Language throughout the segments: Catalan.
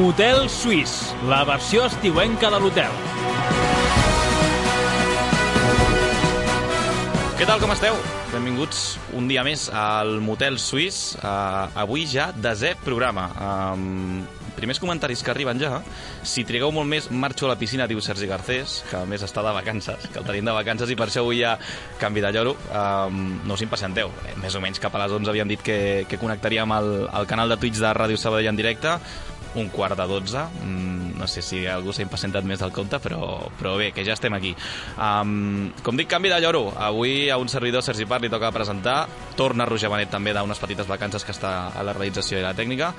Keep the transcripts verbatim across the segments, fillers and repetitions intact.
Motel Suís, la versió estiuenca de l'hotel. Què tal, com esteu? Benvinguts un dia més al Motel Suís. Uh, avui ja desè programa. Um, primers comentaris que arriben ja. Si trigueu molt més, marxo a la piscina, diu Sergi Garcés, que a més està de vacances, que el tenim de vacances i per això avui hi ha canvi de lloro. Um, no us impacienteu. Eh, més o menys cap a les onze havíem dit que, que connectaríem al, al canal de Twitch de Ràdio Sabadell en directe. Un quart de dotze. Mm, no sé si algú s'ha impacientat més del compte, però, però bé, que ja estem aquí. Um, com dic, canvi de lloro. Avui a un servidor, Sergi Part, li toca presentar. Torna Roger Benet també d'unes petites vacances que està a la realització i la tècnica.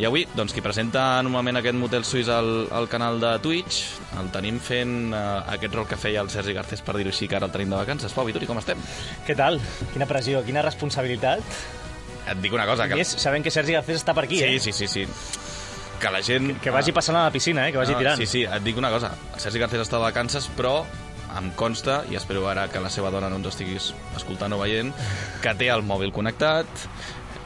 I avui, doncs, qui presenta normalment aquest Motel Suís al, al canal de Twitch, el tenim fent uh, aquest rol que feia el Sergi Garcés, per dir-ho així, que ara el tenim de vacances. Pau Vituri, com estem? Què tal? Quina pressió, quina responsabilitat. Et dic una cosa. Que... Més, sabem que Sergi Garcés està per aquí, sí, eh? Sí, sí, sí. Que la gent... Que, que vagi passant a la piscina, eh? Que vagi no, tirant. Sí, sí, et dic una cosa. El Sergi Garcés està de vacances, però em consta, i espero ara que la seva dona no ens estiguis escoltant o veient, que té el mòbil connectat,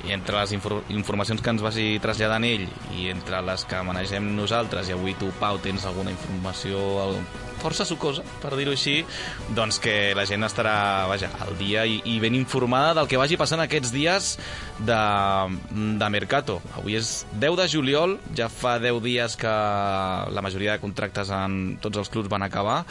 i entre les infor informacions que ens vagi traslladant ell i entre les que manegem nosaltres, i avui tu, Pau, tens alguna informació força sucosa, per dir-ho així, doncs que la gent estarà, vaja, al dia i, i ben informada del que vagi passant aquests dies de, de Mercato. Avui és deu de juliol, ja fa deu dies que la majoria de contractes en tots els clubs van acabar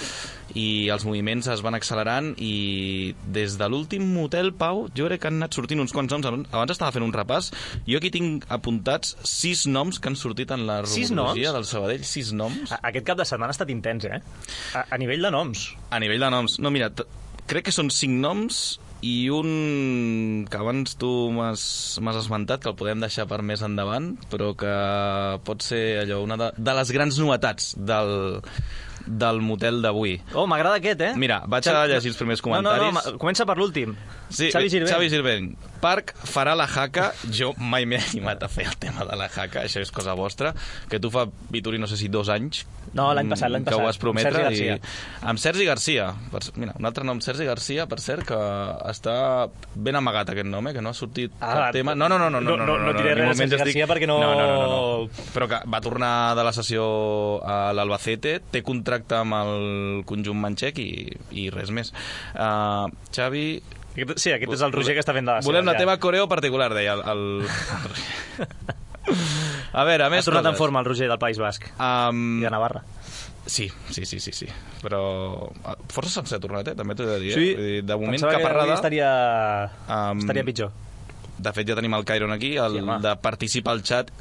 i els moviments es van accelerant, i des de l'últim motel, Pau, jo crec que han anat sortint uns quants noms. Abans estava fent un repàs. Jo aquí tinc apuntats sis noms que han sortit en la rumorologia del Sabadell. Sis noms. Aquest cap de setmana ha estat intens, eh? A, a nivell de noms. A nivell de noms. No, mira, crec que són cinc noms i un que abans tu m'has esmentat, que el podem deixar per més endavant, però que pot ser allò, una de, de les grans novetats del... del motel d'avui. Oh, m'agrada aquest, eh? Mira, vaig a llegir els primers comentaris. No, no, no, comença per l'últim. Sí, Xavi Girvent. Xavi Girvent. Parc farà la jaca. Jo mai m'he animat a fer el tema de la jaca, això és cosa vostra, que tu fa, Vituri, no sé si dos anys no, l'any passat, l'any passat, que ho vas prometre. Amb Sergi Garcia. I... Amb Sergi Garcia. Per... Mira, un altre nom, Sergi Garcia, per cert, que està ben amagat aquest nom, eh? Que no ha sortit ah, cap tema. No, no, no, no, no, no, no, no, no diré res de Sergi Garcia estic... perquè no... No, no, no, no. Però que va tornar de la sessió a l'Albacete, té contracte amb el conjunt manxec i, i res més. Uh, Xavi... Sí, aquest és el Roger que està fent de la seva. Volem la ja. teva coreo particular, deia el... el... A veure, a més ha tornat coses. En forma el Roger del País Basc um... i de Navarra. Sí, sí, sí, sí, sí. Però força sense tornat, eh? També t'ho he de dir. Sí, eh? De moment, pensava caparrada... que estaria... Um... estaria pitjor. De fet, ja tenim el Cairon aquí, el sí, de participar al xat.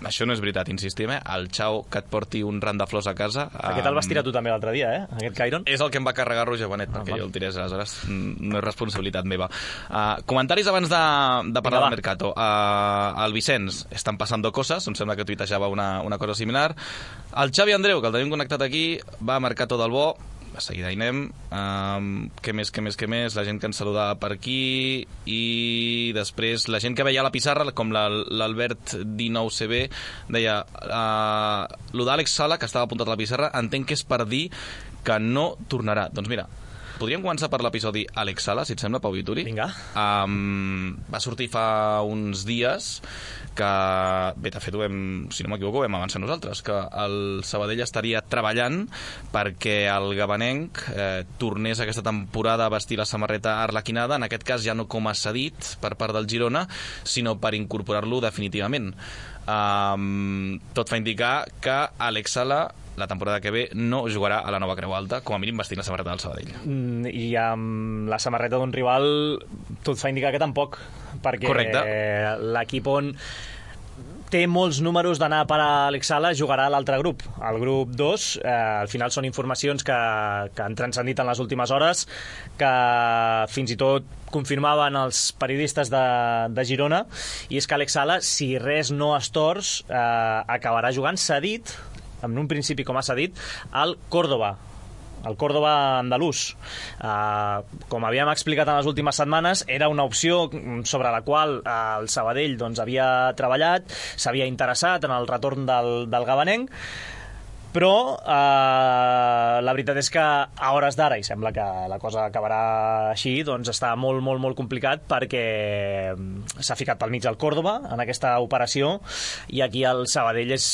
Això no és veritat, insistim, eh? El xau que et porti un ram de flors a casa... Aquest el vas tirar tu també l'altre dia, eh? Aquest Cairon. És el que em va carregar Roger Benet, ah, perquè val. Jo el tirés, aleshores no és responsabilitat meva. Uh, comentaris abans de, de parlar del Mercato. Uh, el Vicenç, estan passant coses, em sembla que tuitejava una, una cosa similar. El Xavi Andreu, que el tenim connectat aquí, va a Mercato del Bo. A seguida hi anem. Um, què més, què més, què més? La gent que ens saludava per aquí, i després la gent que veia a la pissarra, com l'Albert dinou C B, deia uh, lo d'Àlex Sala, que estava apuntat a la pissarra, entenc que és per dir que no tornarà. Doncs mira, podríem començar per l'episodi Àlex Sala, si et sembla, Pau Vituri. Vinga. Um, va sortir fa uns dies que, bé, de fet, ho vam, si no m'equivoco, ho vam avançar nosaltres, que el Sabadell estaria treballant perquè el gabanenc eh, tornés aquesta temporada a vestir la samarreta arlequinada, en aquest cas ja no com a cedit per part del Girona, sinó per incorporar-lo definitivament. Um, tot fa indicar que Àlex Sala la temporada que ve no jugarà a la nova Creu Alta, com a mínim vestint la samarreta del Sabadell. Mm, I amb la samarreta d'un rival tot fa indicar que tampoc, perquè l'equip on té molts números d'anar per a Àlex Sala jugarà a l'altre grup, el grup dos. Eh, al final són informacions que, que han transcendit en les últimes hores, que fins i tot confirmaven els periodistes de, de Girona, i és que Àlex Sala, si res no es tors, eh, acabarà jugant cedit, en un principi com ha cedit, al Córdoba, el Córdoba andalús. Uh, com havíem explicat en les últimes setmanes, era una opció sobre la qual uh, el Sabadell doncs, havia treballat, s'havia interessat en el retorn del, del gabanenc, però uh, la veritat és que a hores d'ara, i sembla que la cosa acabarà així, doncs està molt, molt, molt complicat, perquè s'ha ficat pel mig el Córdoba en aquesta operació, i aquí el Sabadell és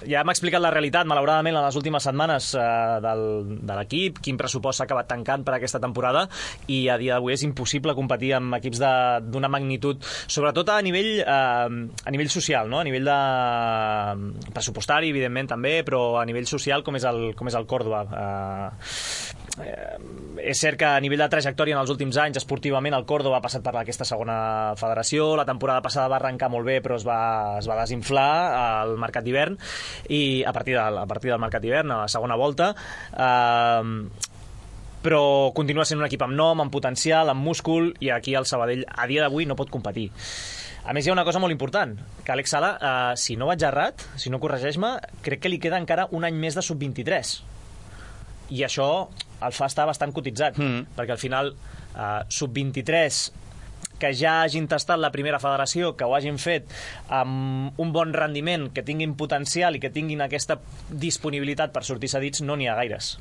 ja m'ha explicat la realitat, malauradament, en les últimes setmanes eh, del, de l'equip, quin pressupost s'ha acabat tancant per aquesta temporada, i a dia d'avui és impossible competir amb equips d'una magnitud, sobretot a nivell, eh, a nivell social, no? A nivell de pressupostari, evidentment, també, però a nivell social, com és el, com és el Córdoba. Eh, Eh, és cert que a nivell de trajectòria en els últims anys esportivament el Córdoba ha passat per aquesta segona federació, la temporada passada va arrencar molt bé però es va, es va desinflar al mercat d'hivern, i a partir, de, a partir del mercat d'hivern, a la segona volta, eh, però continua sent un equip amb nom, amb potencial, amb múscul, i aquí el Sabadell a dia d'avui no pot competir. A més, hi ha una cosa molt important, que Àlex Sala, eh, si no vaig errat, si no corregeix-me, crec que li queda encara un any més de sub vint-i-tres, i això el fa estar bastant cotitzat, mm. perquè al final eh, sub vint-i-tres que ja hagin tastat la primera federació, que ho hagin fet amb un bon rendiment, que tinguin potencial i que tinguin aquesta disponibilitat per sortir cedits, no n'hi ha gaires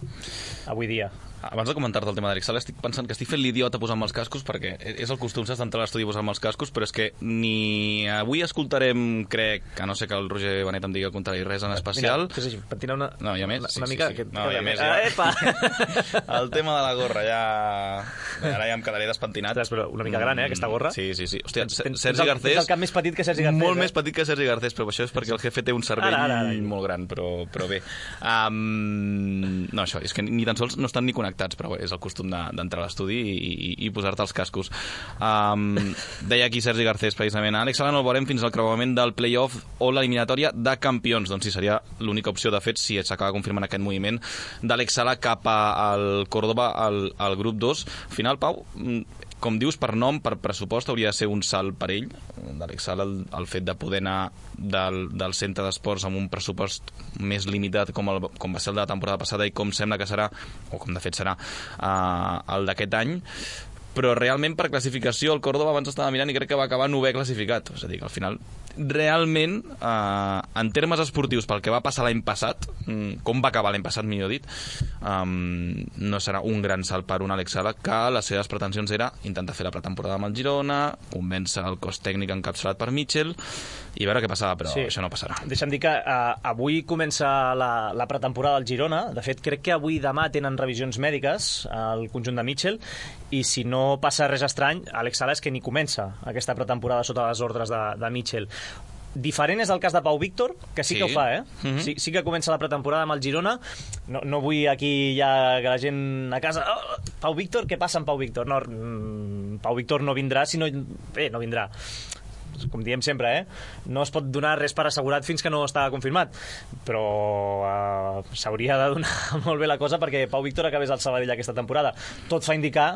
avui dia. Abans de comentar-te el tema d'Àlex Sala, estic pensant que estic fent l'idiota posant-me els cascos, perquè és el costum, saps, d'entrar a l'estudi posant-me els cascos, però és que ni avui escoltarem, crec, a no ser que el Roger Benet em digui el contrari, res en especial. Mira, és així, pentina una, no, hi ha més, una, sí, una mica... sí, sí. Que, no, que hi ha més, ah, ja. Epa! El tema de la gorra, ja... Ara ja em quedaré despentinat. Ostres, però una mica gran, eh, aquesta gorra? Sí, sí, sí. Hòstia, tens, Sergi Garcés... Tens el cap més petit que Sergi Garcés. Molt eh? més petit que Sergi Garcés, però això és perquè el jefe té un cervell ara, ara, ara. molt gran, però, però bé. Um, no, això, és que ni tan sols no estan ni connectats, però bé, és el costum de d'entrar a l'estudi i, i, i posar-te els cascos. Um, deia aquí Sergi Garcés, precisament, Àlex Sala no el veurem fins al creuament del play-off o l'eliminatòria de campions. Doncs sí, seria l'única opció, de fet, si s'acaba confirmant aquest moviment d'Àlex Sala cap al Córdoba, al, al grup dos. Al final, Pau, com dius, per nom, per pressupost, hauria de ser un salt per ell, d'Àlex Sala, el, el fet de poder anar del, del centre d'esports amb un pressupost més limitat com, el, com va ser el de la temporada passada i com sembla que serà, o com de fet serà, uh, el d'aquest any. Però realment per classificació el Córdoba abans estava mirant i crec que va acabar novè classificat, és a dir, que al final realment eh, en termes esportius pel que va passar l'any passat, com va acabar l'any passat millor dit, um, no serà un gran salt per un Àlex Sala, que les seves pretensions era intentar fer la pretemporada amb el Girona, convèncer el cos tècnic encapçalat per Mitchell i veure què passava, però sí, això no passarà. Deixa'm dir que uh, avui comença la, la pretemporada del Girona. De fet, crec que avui i demà tenen revisions mèdiques al conjunt de Mitchell, i si no passa res estrany, Àlex Sala és que ni comença aquesta pretemporada sota les ordres de, de Mitchell. Diferent és el cas de Pau Víctor, que sí, sí. que ho fa, eh? Mm-hmm. Sí, sí que comença la pretemporada amb el Girona. No, no vull aquí ja que la gent a casa... Oh, Pau Víctor, què passa amb Pau Víctor? No, Pau Víctor no vindrà, sinó... Bé, no vindrà. Com diem sempre, eh? No es pot donar res per assegurat fins que no està confirmat, però uh, s'hauria de donar molt bé la cosa perquè Pau Víctor acabés al Sabadell aquesta temporada. Tot fa indicar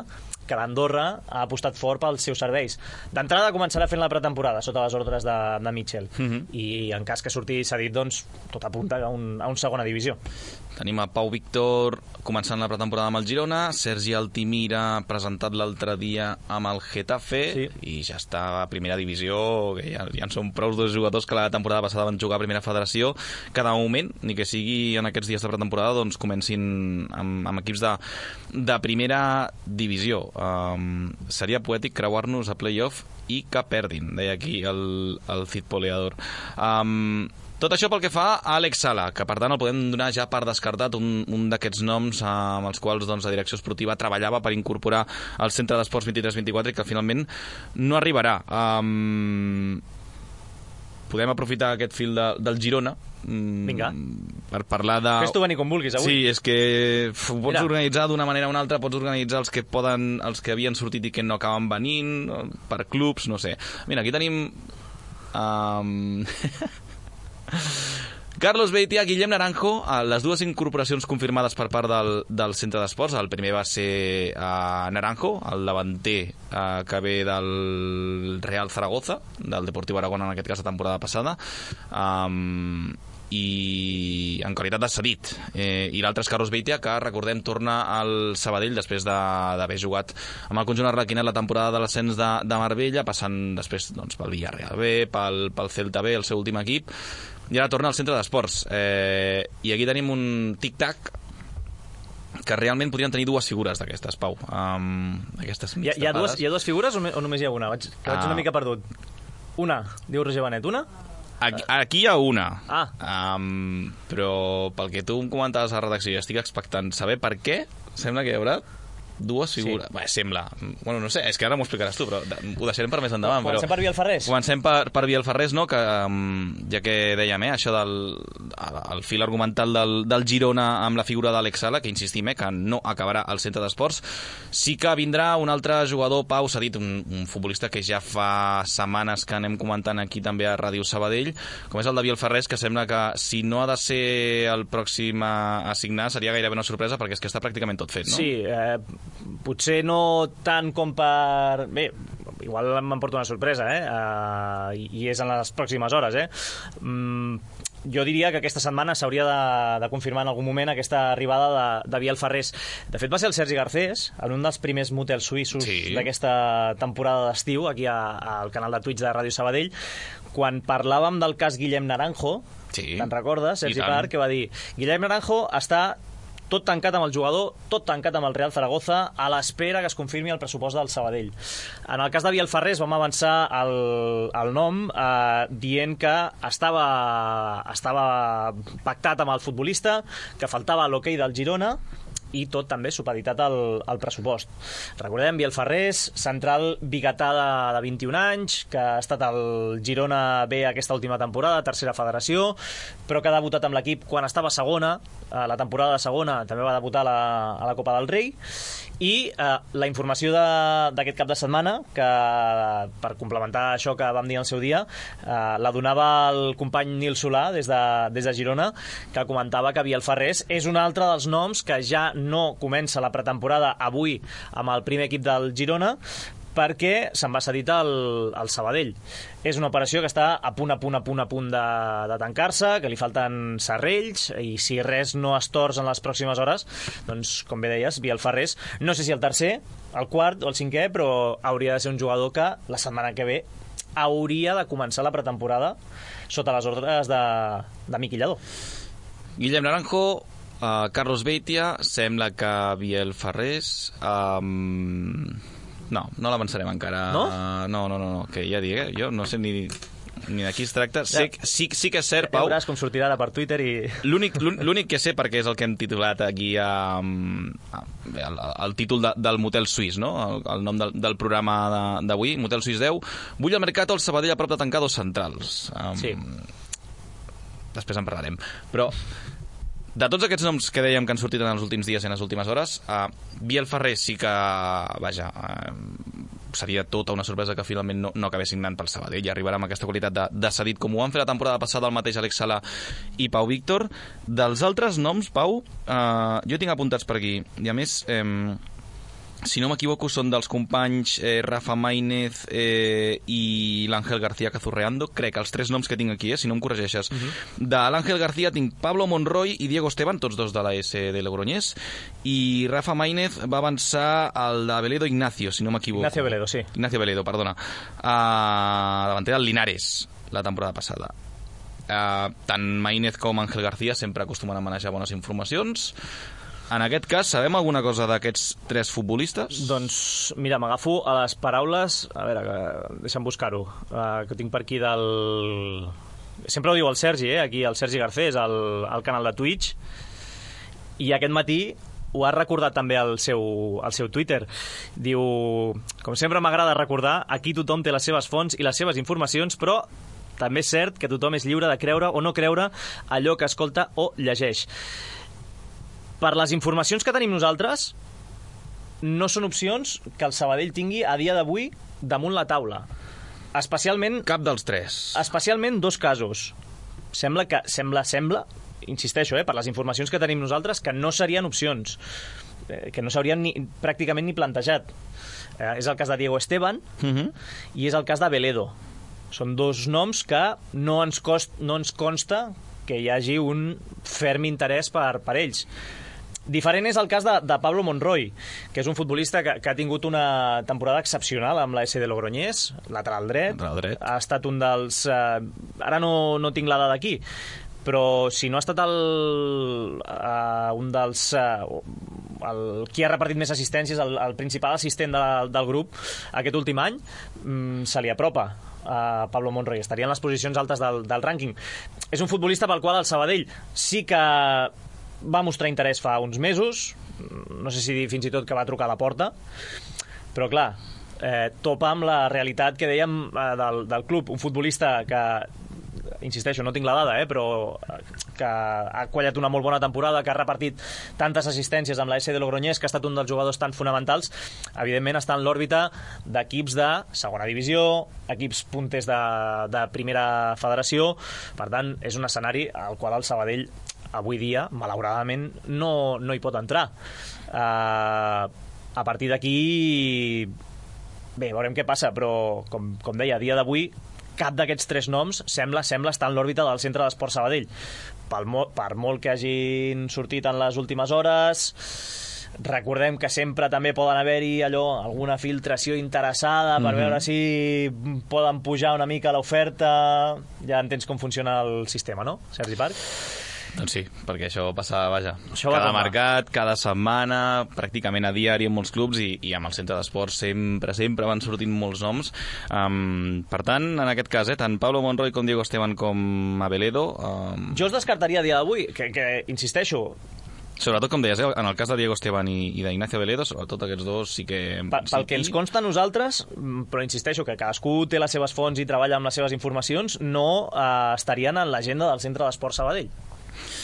que l'Andorra ha apostat fort pels seus serveis. D'entrada començarà fent la pretemporada sota les ordres de, de Mitchell, mm-hmm. i en cas que surti cedit, doncs tot apunta a, un, a un segona divisió. Tenim a Pau Víctor començant la pretemporada amb el Girona, Sergi Altimira presentat l'altre dia amb el Getafe, sí. I ja està a primera divisió, que ja, ja en són prou dos jugadors que la temporada passada van jugar a primera federació, que de moment, ni que sigui en aquests dies de pretemporada, doncs comencin amb, amb equips de, de primera divisió. Um, seria poètic creuar-nos a playoff i que perdin, deia aquí el, el Cid Poleador. Um, Tot això pel que fa a Àlex Sala, que per tant el podem donar ja per descartat, un, un d'aquests noms eh, amb els quals doncs, la direcció esportiva treballava per incorporar al centre d'esports vint-i-tres vint-i-quatre i que finalment no arribarà. Um, podem aprofitar aquest fil de, del Girona Vinga. Per parlar de... Fes tu venir com vulguis avui. Sí, és que uf, ho pots Mira. organitzar d'una manera o una altra, pots organitzar els que poden, els que havien sortit i que no acaben venint, per clubs, no sé. Mira, aquí tenim... Um... Carlos Beitia, Guillem Naranjo, les dues incorporacions confirmades per part del, del centre d'esports. El primer va ser uh, Naranjo, el davanter uh, que ve del Real Zaragoza, del Deportiu Aragón en aquest cas la temporada passada, um, i en qualitat de cedit, eh, i l'altre és Carlos Beitia, que recordem torna al Sabadell després d'haver jugat amb el conjunt arlequinat la temporada de l'ascens de, de Marbella, passant després doncs, pel Villarreal B, pel, pel Celta B, el seu últim equip, i ara torna al centre d'esports, eh, i aquí tenim un tic-tac que realment podrien tenir dues figures d'aquestes, Pau, um, aquestes mig hi ha, hi, ha dues, hi ha dues figures o, me, o només hi ha una? Vaig, que vaig uh, una mica perdut. Una, diu Roger Benet, una? Aquí, aquí hi ha una, ah. um, però pel que tu em comentaves a la redacció, estic expectant saber per què sembla que hi haurà dues figures. Sí. Bé, sembla. Bueno, no sé, és que ara m'ho explicaràs tu, però ho deixarem per més endavant. Comencem però... per Biel Ferrés. Comencem per, per Biel Ferrés, no? Que, um, ja que dèiem, eh, això del el fil argumental del, del Girona amb la figura d'Àlex Sala, que insistim, eh, que no acabarà al centre d'esports, sí que vindrà un altre jugador, Pau, s'ha dit, un, un futbolista que ja fa setmanes que anem comentant aquí també a Ràdio Sabadell, com és el de Biel Ferrés, que sembla que si no ha de ser el pròxim a assignar seria gairebé una sorpresa, perquè és que està pràcticament tot fet, no? Sí, eh, potser no tant com per... Bé, igual m'emporto una sorpresa, eh? Uh, I és en les pròximes hores, eh? Mm, jo diria que aquesta setmana s'hauria de, de confirmar en algun moment aquesta arribada de, de Biel Ferrés. De fet, va ser el Sergi Garcés, en un dels primers motels suïssos sí. d'aquesta temporada d'estiu, aquí a, al canal de Twitch de Ràdio Sabadell, quan parlàvem del cas Guillem Naranjo, sí. te'n recordes, Sergi Parc, que va dir Guillem Naranjo està tot tancat amb el jugador, tot tancat amb el Real Zaragoza, a l'espera que es confirmi el pressupost del Sabadell. En el cas de Biel Ferrés vam avançar el, el nom eh, dient que estava, estava pactat amb el futbolista, que faltava l'hoquei del Girona, i tot també supeditat al, al pressupost. Recordem, Biel Ferrés, central biguetà de, de vint-i-un anys, que ha estat al Girona B aquesta última temporada, tercera federació, però que ha debutat amb l'equip quan estava a segona, a la temporada de segona també va debutar a la, a la Copa del Rei, i eh, la informació d'aquest cap de setmana, que per complementar això que vam dir al seu dia, eh, la donava el company Nil Solà des de, des de Girona, que comentava que Biel Ferrés és un altre dels noms que ja no comença la pretemporada avui amb el primer equip del Girona, perquè se'n va cedir al, al Sabadell. És una operació que està a punt, a punt, a punt, a punt de, de tancar-se, que li falten serrells, i si res no es tors en les pròximes hores, doncs, com bé deies, Biel Ferrés, no sé si el tercer, el quart o el cinquè, però hauria de ser un jugador que la setmana que ve hauria de començar la pretemporada sota les ordres de, de Miqui Lladó. Guillem Naranjo, uh, Carlos Beitia, sembla que Biel Ferrés... Um... No, no l'avançarem encara. No? Uh, no, no, no, no, que ja dic, eh? Jo no sé ni, ni de qui es tracta. Ja. Sé, sí, sí que és cert, Pau... Ja veuràs com sortirà ara per Twitter i... L'únic que sé, perquè és el que hem titulat aquí a, a, el, el títol de, del Motel Suís, no? El, el nom del, del programa d'avui, Motel Suís deu. Vull al Mercato el Sabadell a prop de tancar dos centrals. Um, sí. Després en parlarem. Però... de tots aquests noms que dèiem que han sortit en els últims dies i en les últimes hores, uh, Biel Ferrés sí que, vaja, uh, seria tota una sorpresa que finalment no, no acabés signant pel Sabadell i arribarà amb aquesta qualitat de, de cedit, com ho van fer la temporada passada el mateix Àlex Sala i Pau Víctor. Dels altres noms, Pau, uh, jo tinc apuntats per aquí, i a més... Eh, si no m'equivoco, són dels companys eh, Rafa Maínez eh, i l'Àngel García Cazurreando. Crec que els tres noms que tinc aquí, eh, si no em corregeixes. Uh-huh. De l'Àngel García tinc Pablo Monroy i Diego Esteban, tots dos de la S de Logroñés. I Rafa Maínez va avançar al de Veledo Ignacio, si no m'equivoco. Ignacio Veledo, sí. Ignacio Veledo, perdona. Uh, davanter del Linares, la temporada passada. Uh, tant Maínez com Àngel García sempre acostumen a manejar bones informacions. En aquest cas, sabem alguna cosa d'aquests tres futbolistes? Doncs, mira, m'agafo a les paraules... A veure, que, deixa'm buscar-ho. Uh, que tinc per aquí del... Sempre ho diu el Sergi, eh? Aquí el Sergi Garcés, al, al canal de Twitch. I aquest matí ho ha recordat també al seu, al seu Twitter. Diu... Com sempre m'agrada recordar, aquí tothom té les seves fonts i les seves informacions, però també és cert que tothom és lliure de creure o no creure allò que escolta o llegeix. Per les informacions que tenim nosaltres, no són opcions que el Sabadell tingui a dia d'avui damunt la taula. Especialment... Cap dels tres. Especialment dos casos. Sembla que... Sembla, sembla, insisteixo, eh, per les informacions que tenim nosaltres, que no serien opcions, eh, que no s'haurien ni, pràcticament ni plantejat. Eh, és el cas de Diego Esteban uh-huh. i és el cas de Veledo. Són dos noms que no ens, cost, no ens consta que hi hagi un ferm interès per, per ells. Diferent és el cas de, de Pablo Monroy, que és un futbolista que, que ha tingut una temporada excepcional amb la S de Logroñés, lateral dret. Lateral dret. Ha estat un dels... Eh, ara no, no tinc la dada aquí, però si no ha estat el, uh, un dels... Uh, el, qui ha repartit més assistències, el, el principal assistent de, del grup aquest últim any, mm, se li apropa a Pablo Monroy, estaria en les posicions altes del, del rànquing. És un futbolista pel qual el Sabadell sí que va mostrar interès fa uns mesos, no sé si dir fins i tot que va trucar a la porta, però clar, eh, topa amb la realitat que dèiem eh, del, del club, un futbolista que, insisteixo, no tinc la dada, eh, però que ha quallat una molt bona temporada, que ha repartit tantes assistències amb la S de Logroñés, que ha estat un dels jugadors tan fonamentals, evidentment està en l'òrbita d'equips de segona divisió, equips punters de, de primera federació, per tant, és un escenari al qual el Sabadell avui dia, malauradament, no, no hi pot entrar. Uh, a partir d'aquí, bé, veurem què passa, però, com, com deia, a dia d'avui, cap d'aquests tres noms sembla sembla estar en l'òrbita del Centre d'Esport Sabadell. Pel mo- per molt que hagin sortit en les últimes hores, recordem que sempre també poden haver-hi allò, alguna filtració interessada per mm-hmm. veure si poden pujar una mica l'oferta. Ja entens com funciona el sistema, no, Sergi Parc? Doncs sí, perquè això passa, vaja, això cada mercat, cada setmana, pràcticament a diari en molts clubs, i, i amb el centre d'esports sempre, sempre van sortint molts noms. Um, per tant, en aquest cas, eh, tant Pablo Monroy com Diego Esteban com Abeledo... Um... Jo els descartaria a dia d'avui, que, que insisteixo... Sobretot, com deies, en el cas de Diego Esteban i, i d'Ignacio Abeledo, sobretot aquests dos sí que... Pa, pel sí que ens consta a nosaltres, però insisteixo que cadascú té les seves fonts i treballa amb les seves informacions, no eh, estarien en l'agenda del Centre d'Esport Sabadell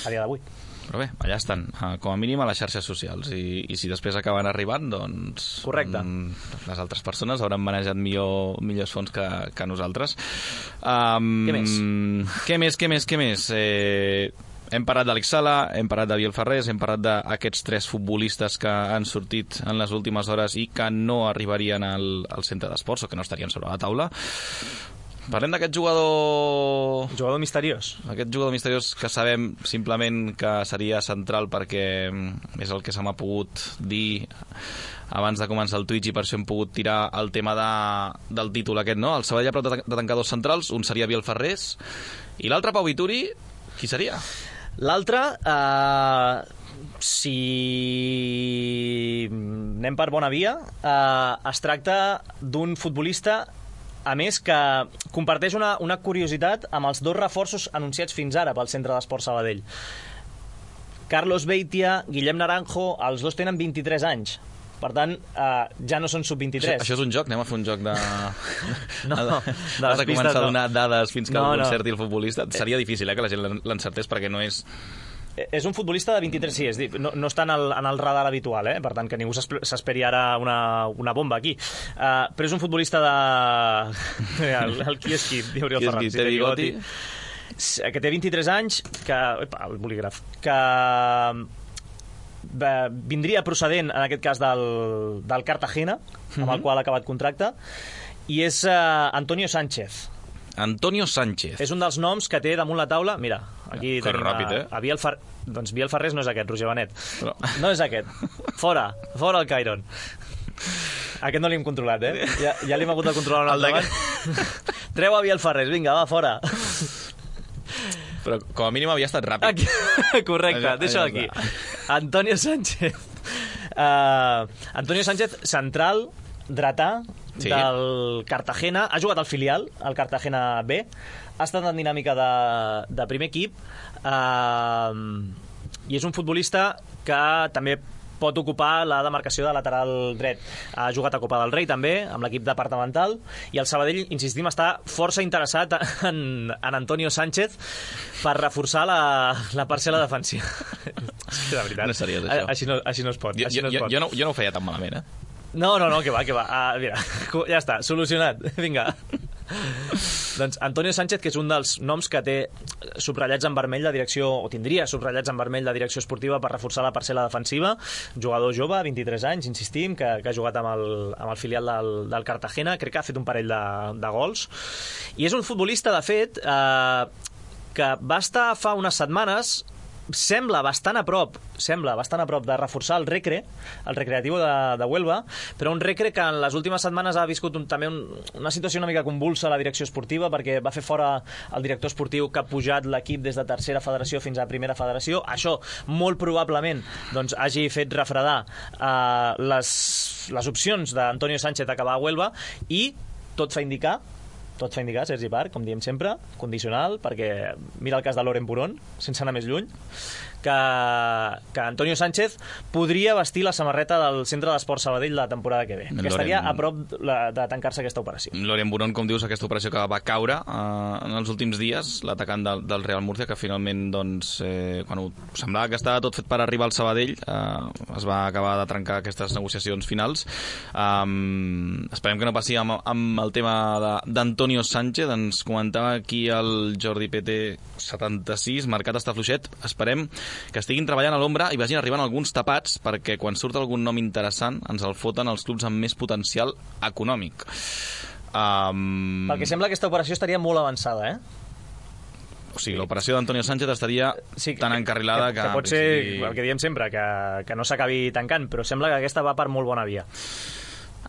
a dia d'avui. Però bé, allà estan, com a mínim a les xarxes socials, i, i si després acaben arribant, doncs... Correcte. Um, les altres persones hauran manejat millor, millors fons que, que nosaltres. Um, què més? Què més, què més, què més? Eh, hem parlat d'Àlex Sala, hem parlat de Biel Ferrés, hem parlat d'aquests tres futbolistes que han sortit en les últimes hores i que no arribarien al, al centre d'esports, o que no estarien sobre la taula. Parlem d'aquest jugador... Jugador misteriós. Aquest jugador misteriós que sabem simplement que seria central perquè és el que se m'ha pogut dir abans de començar el Twitch, i per això hem pogut tirar el tema de, del títol aquest, no? El Sabadell ha prou de, de tancar dos centrals, un seria Biel Ferrés i l'altre Pau Vituri, qui seria? L'altre, eh, si anem per bona via, eh, es tracta d'un futbolista, a més, que comparteix una, una curiositat amb els dos reforços anunciats fins ara pel Centre d'Esport Sabadell. Carlos Beitia, Guillem Naranjo, els dos tenen vint-i-tres anys. Per tant, eh, ja no són sub vint-i-tres. Això, això és un joc? Anem a fer un joc de... no, de, de Has de començar a donar dades fins que no, algú no. encerti el futbolista? Seria difícil, eh, que la gent l'encertés, perquè no és... És un futbolista de vint-i-tres, sí, és dir, no, no està en el, en el radar habitual, eh? Per tant, que ningú s'esperi ara una, una bomba aquí. Uh, però és un futbolista de... el, el qui és qui? Qui és qui? Té bigoti? Que té vint-i-tres anys, que... Epa, el bolígraf. Que vindria procedent, en aquest cas, del, del Cartagena, amb el qual ha acabat contracte, i és uh, Antonio Sánchez. Antonio Sánchez. És un dels noms que té damunt la taula. Mira, aquí que tenim ràpid, eh? a, a Biel Fer... Doncs Biel Ferrés no és aquest, Roger Benet. Però... No és aquest. Fora, fora el Cairon. Aquest no l'hem controlat, eh? Ja, ja l'hem hagut de controlar un altre abans. Treu a Biel Ferrés, vinga, va, fora. Però com a mínim havia estat ràpid. Aquí. Correcte, deixa'l aquí. Antonio Sánchez. Uh, Antonio Sánchez, central, dretà, sí, del Cartagena. Ha jugat al filial, al Cartagena B. Ha estat en dinàmica de, de primer equip. Uh, I és un futbolista que també pot ocupar la demarcació de lateral dret. Ha jugat a Copa del Rei també, amb l'equip departamental, i el Sabadell, insistim, està força interessat en, en Antonio Sánchez per reforçar la, la parcel·la defensiva. De veritat. No seria això. Així no, així no es pot. Jo, així no es jo, pot. jo, no, jo no ho feia tan malament, eh? No, no, no, que va, que va. Ah, mira, ja està, solucionat. Vinga. Doncs Antonio Sánchez, que és un dels noms que té subratllats en vermell la direcció, o tindria subratllats en vermell la direcció esportiva per reforçar la parcel·la defensiva. Jugador jove, vint-i-tres anys, insistim, que, que ha jugat amb el, amb el filial del, del Cartagena. Crec que ha fet un parell de, de gols. I és un futbolista, de fet, eh, que va estar fa unes setmanes, sembla bastant a prop sembla bastant a prop de reforçar el Recre, el Recreativo de, de Huelva, però un Recre que en les últimes setmanes ha viscut un, també un, una situació una mica convulsa a la direcció esportiva, perquè va fer fora el director esportiu que ha pujat l'equip des de tercera federació fins a primera federació. Això molt probablement doncs, hagi fet refredar eh, les, les opcions d'Antonio Sánchez d'acabar a Huelva, i tot fa indicar tot fa indicar, Sergi Parc, com diem sempre, condicional, perquè mira el cas de Loren Buron, sense anar més lluny, que, que Antonio Sánchez podria vestir la samarreta del Centre d'Esport Sabadell la temporada que ve, que Loren... estaria a prop de, de tancar-se aquesta operació. Loren Buron, com dius, aquesta operació que va caure eh, en els últims dies, l'atacant del, del Real Murcia, que finalment, doncs, eh, quan ho semblava que estava tot fet per arribar al Sabadell, eh, es va acabar de trencar aquestes negociacions finals. Um, esperem que no passi amb, amb el tema d'Antonio Sánchez. Ens comentava aquí el Jordi P T setanta-sis, mercat està fluixet, esperem que estiguin treballant a l'ombra i vagin arribant alguns tapats, perquè quan surt algun nom interessant ens el foten els clubs amb més potencial econòmic. Um... Pel que sembla, aquesta operació estaria molt avançada, eh? O sigui, l'operació d'Antonio Sánchez estaria sí, que, tan encarrilada que... Que, que pot ser, principi... el que diem sempre, que, que no s'acabi tancant, però sembla que aquesta va per molt bona via.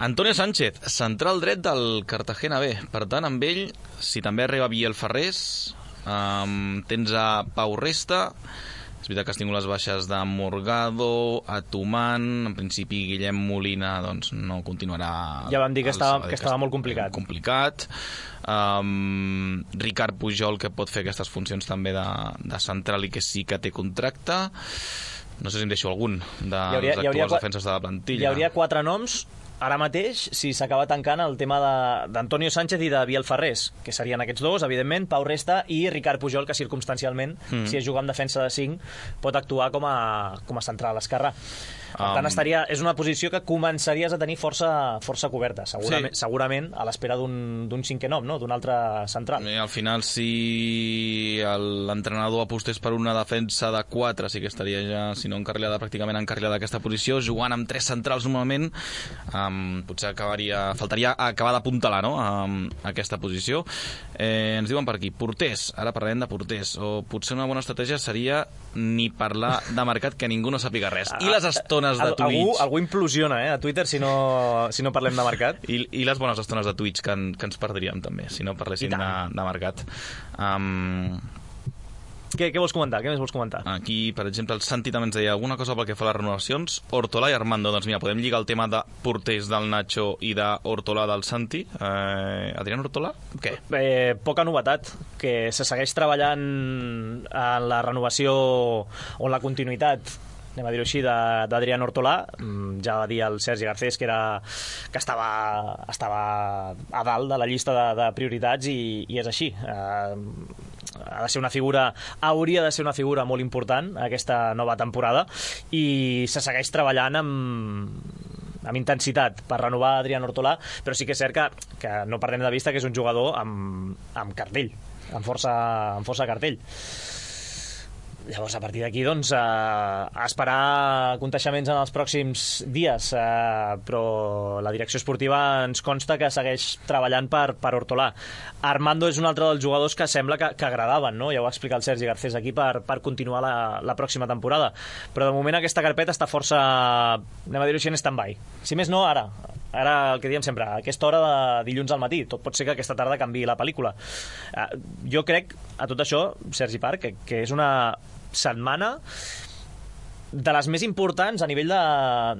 Antonio Sánchez, central dret del Cartagena B. Per tant, amb ell, si també arriba Biel Ferrés, um, tens a Pau Resta, és veritat que has tingut les baixes de Morgado, a Tuman, en principi Guillem Molina doncs, no continuarà... Ja vam dir que estava, que estava molt complicat. complicat. Um, Ricard Pujol, que pot fer aquestes funcions també de, de central i que sí que té contracte. No sé si em deixo algun dels hauria, actuals defenses de la plantilla. Hi hauria quatre noms ara mateix, si s'acaba tancant el tema d'Antonio Sánchez i de Biel Ferrés, que serien aquests dos, evidentment, Pau Resta i Ricard Pujol, que circumstancialment, mm. si es juga amb defensa de cinc, pot actuar com a, com a central esquerra. Per tant, estaria, és una posició que començaries a tenir força, força coberta, segurament, sí. segurament a l'espera d'un cinquè nom, no? D'un altre central. I al final, si l'entrenador apostés per una defensa de quatre, sí que estaria ja, si no encarrilada, pràcticament encarrilada aquesta posició, jugant amb tres centrals normalment, um, potser acabaria, faltaria acabar d'apuntalar, no?, um, aquesta posició. Eh, ens diuen per aquí, porters, ara parlarem de porters, o potser una bona estratègia seria ni parlar de mercat, que ningú no sàpiga res. I les estones de Twitch. Algú, algú implosiona, eh, a Twitter, si no, si no parlem de mercat. I, i les bones estones de Twitch, que, en, que ens perdríem també, si no parléssim de, de mercat. Um... Què, què vols comentar? Què més vols comentar? Aquí, per exemple, el Santi també ens deia alguna cosa pel que fa a les renovacions. Hortolà i Armando. Doncs mira, podem lligar el tema de porters del Nacho i d'Hortolà del Santi. Eh, Adrián Hortolà, què? Eh, poca novetat, que se segueix treballant en la renovació o en la continuïtat, anem a dir-ho així, d'Adrián Hortolà. Ja va dir el Sergi Garcés que, era, que estava, estava a dalt de la llista de, de prioritats i, i és així. Eh, ha de ser una figura, hauria de ser una figura molt important aquesta nova temporada i se segueix treballant amb amb intensitat per renovar Adrián Hortolà, però sí que és cert que, que no perdem de vista que és un jugador amb, amb cartell, amb força, amb força cartell. Llavors, a partir d'aquí, doncs, eh, a esperar conteixements en els pròxims dies, eh, però la direcció esportiva ens consta que segueix treballant per, per Hortolà. Armando és un altre dels jugadors que sembla que, que agradaven, no? Ja ho va explicar el Sergi Garcés aquí, per, per continuar la, la pròxima temporada. Però de moment aquesta carpeta està força, anem a dir-ho així, en stand-by. Si més no, ara. Ara, el que diem sempre, a aquesta hora de dilluns al matí. Tot pot ser que aquesta tarda canviï la pel·lícula. Eh, jo crec, a tot això, Sergi Parc, que, que és una setmana de les més importants a nivell de,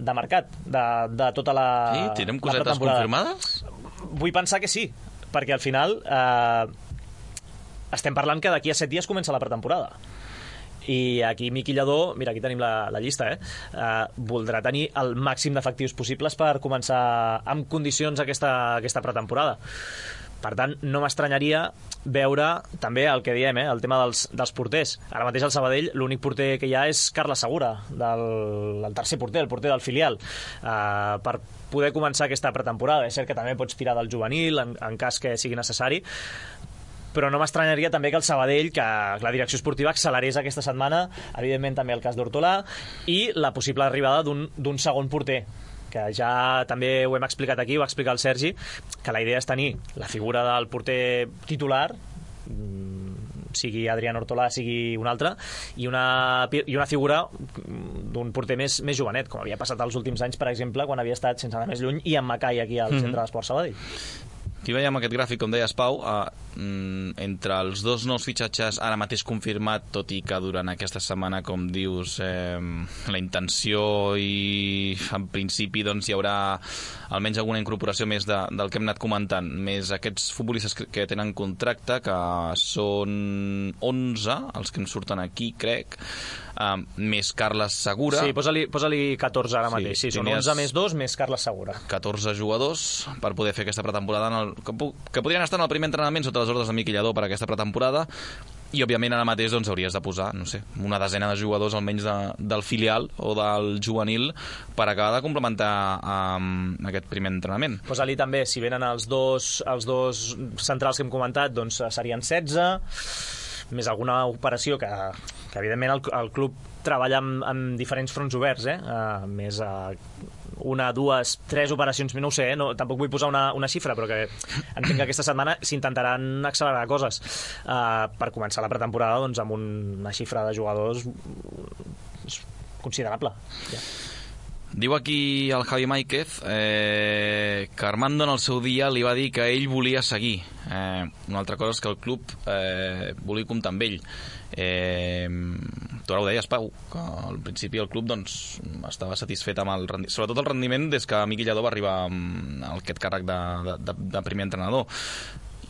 de mercat, de, de tota la Sí, tindrem cosetes confirmades? Vull pensar que sí, perquè al final eh, estem parlant que d'aquí a set dies comença la pretemporada. I aquí Miqui Lladó, mira, aquí tenim la, la llista, eh? eh? Voldrà tenir el màxim d'efectius possibles per començar amb condicions aquesta, aquesta pretemporada. Per tant, no m'estranyaria veure també el que diem, eh? El tema dels, dels porters. Ara mateix al Sabadell l'únic porter que hi ha és Carles Segura, del, el tercer porter, el porter del filial, eh, per poder començar aquesta pretemporada. És cert que també pots tirar del juvenil en, en cas que sigui necessari, però no m'estranyaria també que el Sabadell, que la direcció esportiva accelerés aquesta setmana, evidentment també el cas d'Hortolà, i la possible arribada d'un segon porter, que ja també ho hem explicat aquí, ho va explicar el Sergi, que la idea és tenir la figura del porter titular, sigui Adrián Hortolà, sigui un altre, i una, i una figura d'un porter més, més jovenet, com havia passat els últims anys, per exemple, quan havia estat, sense anar més lluny, i en Macai aquí al mm-hmm. centre d'Esport Sabadell. Aquí veiem aquest gràfic, com deies, Pau, eh, entre els dos nous fitxatges ara mateix confirmat, tot i que durant aquesta setmana, com dius, eh, la intenció i en principi doncs, hi haurà almenys alguna incorporació més de, del que hem anat comentant, més aquests futbolistes que, que tenen contracte, que són onze, els que ens surten aquí, crec, eh, més Carles Segura. Sí, posa-li posa catorze ara mateix. Sí, sí, són onze més dos més Carles Segura. catorze jugadors per poder fer aquesta pretemporada en el, que, que podrien estar en el primer entrenament sota les ordres de Miquel Lladó per aquesta pretemporada, i òbviament ara mateix doncs, hauries de posar, no sé, una desena de jugadors almenys de, del filial o del juvenil per acabar de complementar um, aquest primer entrenament. Posa-li també, si venen els dos, els dos centrals que hem comentat, doncs serien setze, més alguna operació que, que evidentment el, el club treballa amb, amb diferents fronts oberts, eh? Uh, més uh, una, dues, tres operacions, no ho sé, eh? no, tampoc vull posar una, una xifra, però que entenc que aquesta setmana s'intentaran accelerar coses uh, per començar la pretemporada doncs, amb un, una xifra de jugadors considerable. Ja. Diu aquí el Javi Máiquez eh, que Armando en el seu dia li va dir que ell volia seguir. Eh, una altra cosa és que el club eh, volia comptar amb ell. Eh, tu ara ho deies, Pau, que al principi el club doncs, estava satisfet amb el rendiment, sobretot el rendiment des que Miquel Lladó va arribar a aquest càrrec de, de, de primer entrenador.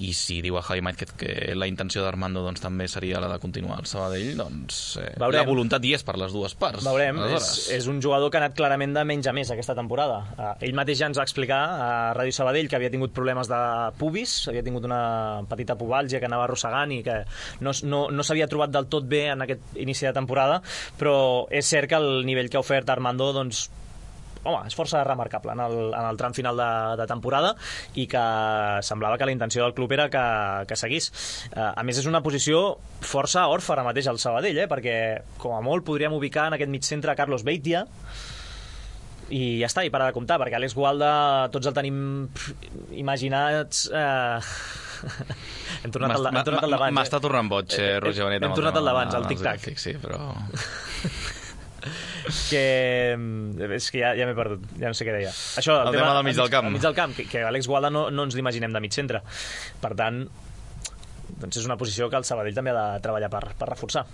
I si diu a Javi Máiquez que la intenció d'Armando doncs, també seria la de continuar al Sabadell, doncs eh, la voluntat hi és per les dues parts. Veurem, és, és un jugador que ha anat clarament de menys a més aquesta temporada. Uh, ell mateix ja ens va explicar a Ràdio Sabadell que havia tingut problemes de pubis, havia tingut una petita pubàlgia que anava arrossegant i que no, no, no s'havia trobat del tot bé en aquest inici de temporada, però és cert que el nivell que ha ofert Armando doncs, home, és força remarcable en el, en el tram final de, de temporada i que semblava que la intenció del club era que, que seguís. Uh, a més, és una posició força orfa ara mateix al Sabadell, eh? Perquè com a molt podríem ubicar en aquest mig centre Carlos Beitia i ja està, i para de comptar, perquè Àlex Gualda tots el tenim imaginats... Eh... hem tornat al, hem tornat al d'abans. M'està eh? tornant boig, eh, Roger Bonet. Hem tornat al d'abans, al tic-tac. Sí, però... que és que ja, ja m'he perdut, ja no sé què deia. Això, el, el tema, tema del mig del camp, mig del camp que, que Àlex Gualda no, no ens l'imaginem de mig centre, per tant doncs és una posició que el Sabadell també ha de treballar per, per reforçar.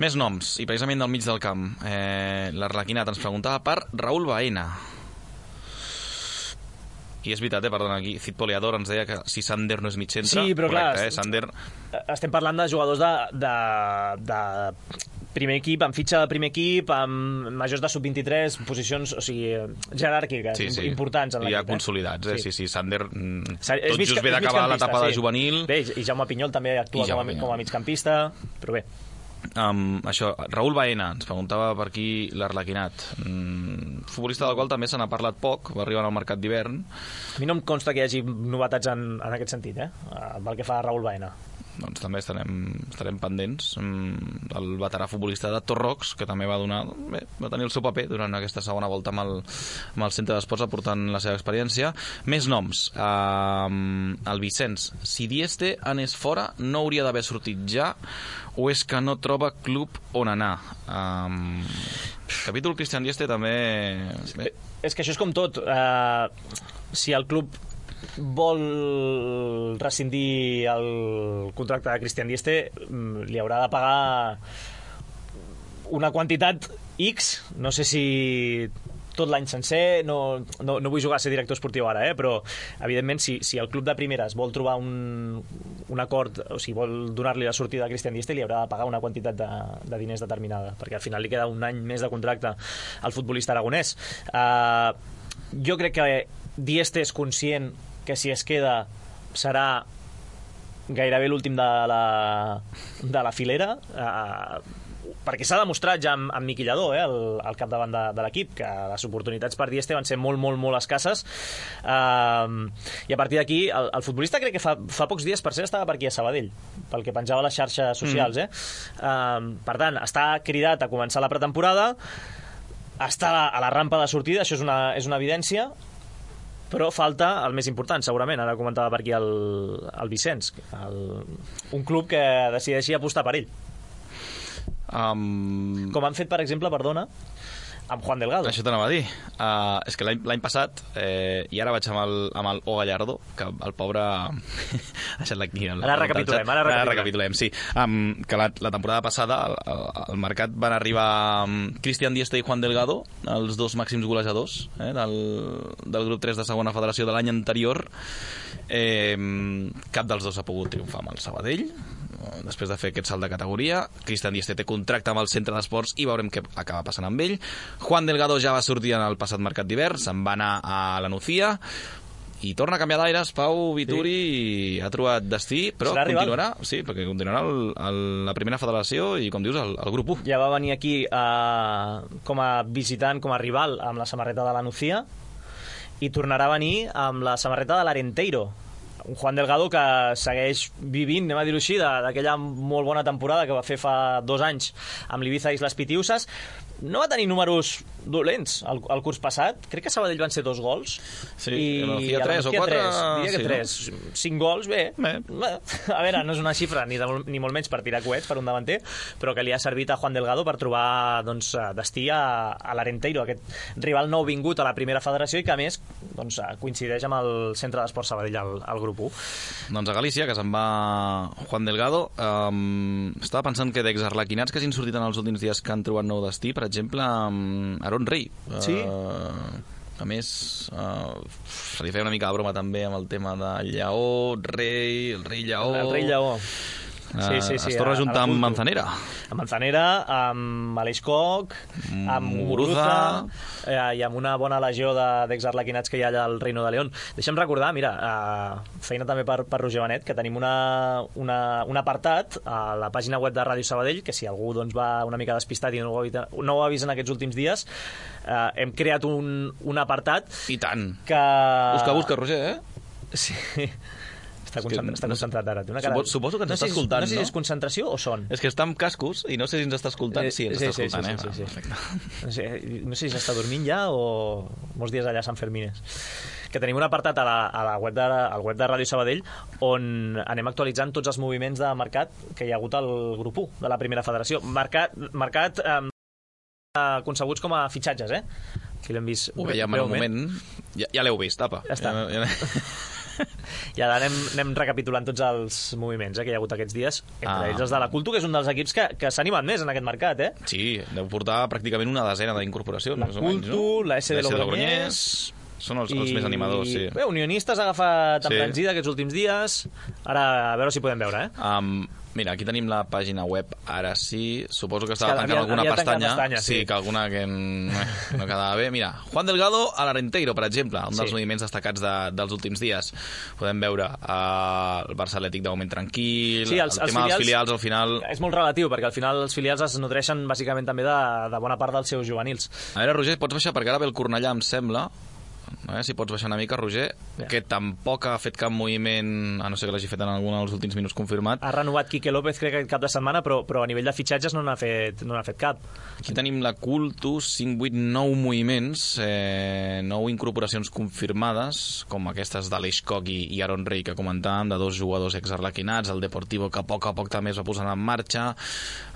Més noms, i precisament del mig del camp, eh, l'Arlequinat ens preguntava per Raúl Baena. I és veritat, eh, perdona, aquí Cid Poliador ens deia que si Sander no és mig centre, sí, però correcte, clar, eh, Sander... estem parlant de jugadors de, de, de primer equip, amb fitxa de primer equip, amb majors de sub vint-i-tres, posicions, o sigui, jeràrquiques, sí, sí. importants en l'equip. Ja consolidats, eh? Sí, sí, sí Sander mm, tot just ve d'acabar l'etapa sí. de juvenil. Bé, i Jaume Pinyol també actua com a, com a migcampista, però bé. Um, això, Raúl Baena ens preguntava per aquí l'Arlequinat, mm, futbolista del qual també se n'ha parlat poc, va arribar al mercat d'hivern. A mi no em consta que hi hagi novetats en, en aquest sentit, eh? Pel que fa a Raúl Baena. Doncs també estarem, estarem pendents. El veterà futbolista de Torrox, que també va donar, bé, va tenir el seu paper durant aquesta segona volta amb el, amb el centre d'esports, aportant la seva experiència. Més noms. Uh, el Vicenç. Si Dieste anés fora, no hauria d'haver sortit ja, o és que no troba club on anar? Um, capítol Cristian Dieste també... Bé. És que això és com tot. Uh, si el club vol rescindir el contracte de Cristian Dieste, li haurà de pagar una quantitat X, no sé si tot l'any sencer, no, no, no vull jugar a ser director esportiu ara, eh? Però evidentment si, si el club de primeres vol trobar un, un acord, o sigui, vol donar-li la sortida a Cristian Dieste, li haurà de pagar una quantitat de, de diners determinada, perquè al final li queda un any més de contracte al futbolista aragonès. Uh, jo crec que Dieste és conscient que si es queda serà gairebé l'últim de la, de la filera, eh, perquè s'ha demostrat ja amb, amb Miquel Lladó, eh, el, el capdavant de, de l'equip, que les oportunitats per Dieste van ser molt, molt, molt escasses, eh, i a partir d'aquí el, el futbolista crec que fa, fa pocs dies per ser estava per aquí a Sabadell, pel que penjava a les xarxes socials, eh? Eh, per tant, està cridat a començar la pretemporada, està a la rampa de sortida, això és una, és una evidència, però falta el més important, segurament. Ara comentava per aquí el, el Vicenç, el, un club que decideixi apostar per ell. Um... Com han fet, per exemple, perdona, amb Juan Delgado. Això t'anava a dir. Uh, és que l'any passat, eh, i ara vaig amb el, amb el O Gallardo, que el pobre... ha deixat aquí. El, ara recapitulem, ara recapitulem. Ara recapitulem, sí. Um, que la, la temporada passada, al, al mercat van arribar um, Cristian Dieste i Juan Delgado, els dos màxims golejadors eh, del, del grup tres de segona federació de l'any anterior. Eh, cap dels dos ha pogut triomfar amb el Sabadell, després de fer aquest salt de categoria. Cristian Dieste té contracte amb el centre d'esports i veurem què acaba passant amb ell. Juan Delgado ja va sortir en el passat mercat d'hivern, se'n va anar a la Nucía i torna a canviar d'aires. Pau Vituri sí. ha trobat destí, però continuarà, sí, perquè continuarà el, el, la primera federació i, com dius, el, el grup u. Ja va venir aquí uh, com a visitant, com a rival, amb la samarreta de la Nucía, i tornarà a venir amb la samarreta de l'Arenteiro. Un Juan Delgado que segueix vivint, anem a dir-ho així, d'aquella molt bona temporada que va fer fa dos anys amb l'Ibiza Islas Pitiusas. No va tenir números dolents el, el curs passat. Crec que a Sabadell van ser dos gols. Sí, i a la tres o quatre. Diria que sí, tres. No? Cinc gols, bé. bé. A veure, no és una xifra ni, de, ni molt menys per tirar coets per un davanter, però que li ha servit a Juan Delgado per trobar doncs, destí a, a l'Arenteiro, aquest rival nou vingut a la primera federació i que, a més, doncs, coincideix amb el Centre d'Esports Sabadell al, al grup u. Doncs a Galícia, que se'n va Juan Delgado, um, estava pensant que d'exarlequinats que hagin sortit en els últims dies que han trobat nou destí, per exemple, um, Aaron Rey. Sí. Uh, a més, uh, se li feia una mica de broma també amb el tema de Lleó, Rei, el Rei Lleó. El Rei Lleó. Sí, sí, sí, es torna a juntar amb Manzanera. Amb Manzanera, amb Aleix Coc, amb Muguruza eh, i amb una bona legió d'exarlequinats que hi ha allà al Reino de León. Deixa'm recordar, mira, eh, feina també per, per Roger Benet, que tenim una, una, un apartat a la pàgina web de Ràdio Sabadell, que si algú doncs, va una mica despistat i no ho ha vist, no ho ha vist en aquests últims dies, eh, hem creat un, un apartat... I tant. Que... Busca, busca, Roger, eh? Sí... Està, concentrat, està concentrat ara. Una cara... Suposo, suposo que ens no està escoltant, no? No sé si és no? concentració o son. És que està amb cascos i no sé si ens està escoltant. Sí, ens sí, està escoltant, sí, sí, eh? Sí, sí, sí. No sé, no sé si s'està dormint ja o molts dies allà a Sant Fermines. Que tenim un apartat a la, a la web de, al web de Ràdio Sabadell on anem actualitzant tots els moviments de mercat que hi ha hagut al grup u de la primera federació. Mercat, mercat eh, concebuts com a fitxatges, eh? Aquí l'hem vist. Ho veiem en un moment. Ja, ja l'heu vist, apa. Ja està. Ja, ja... I ara anem, anem recapitulant tots els moviments eh, que hi ha hagut aquests dies, entre ah. ells els de la Cultu, que és un dels equips que, que s'ha animat més en aquest mercat, eh? Sí, deu portar pràcticament una desena d'incorporacions. La Cultu, no? La S de Logroñés... Són els, els més animadors, sí. Bé, Unionistes ha agafat sí. embranzida aquests últims dies. Ara, a veure si podem veure, eh? Um, mira, aquí tenim la pàgina web, ara sí. Suposo que estava tancant alguna pestanya. pestanya. Sí, sí, que alguna que, en... que no quedava bé. Mira, Juan Delgado a l'Arenteiro, per exemple, un dels sí. moviments destacats de, dels últims dies. Podem veure uh, el Barça Atlètic de moment tranquil, sí, els, el tema els filials, dels filials al final... És molt relatiu, perquè al final els filials es nodreixen bàsicament també de, de bona part dels seus juvenils. A veure, Roger, pots baixar, perquè ara ve el Cornellà, em sembla... Eh, si pots baixar una mica, Roger, ja. que tampoc ha fet cap moviment, a no ser que l'hagi fet en algun dels últims minuts confirmat. Ha renovat Quique López, crec que cap de setmana, però, però a nivell de fitxatges no n'ha fet, no n'ha fet cap. Aquí tenim la Cultu, cinc, vuit, nou moviments, eh, nou incorporacions confirmades, com aquestes d'Aleix Coc i, i Aaron Rey, que comentàvem, de dos jugadors exarlequinats, el Deportivo, que a poc a poc també es va posant en marxa,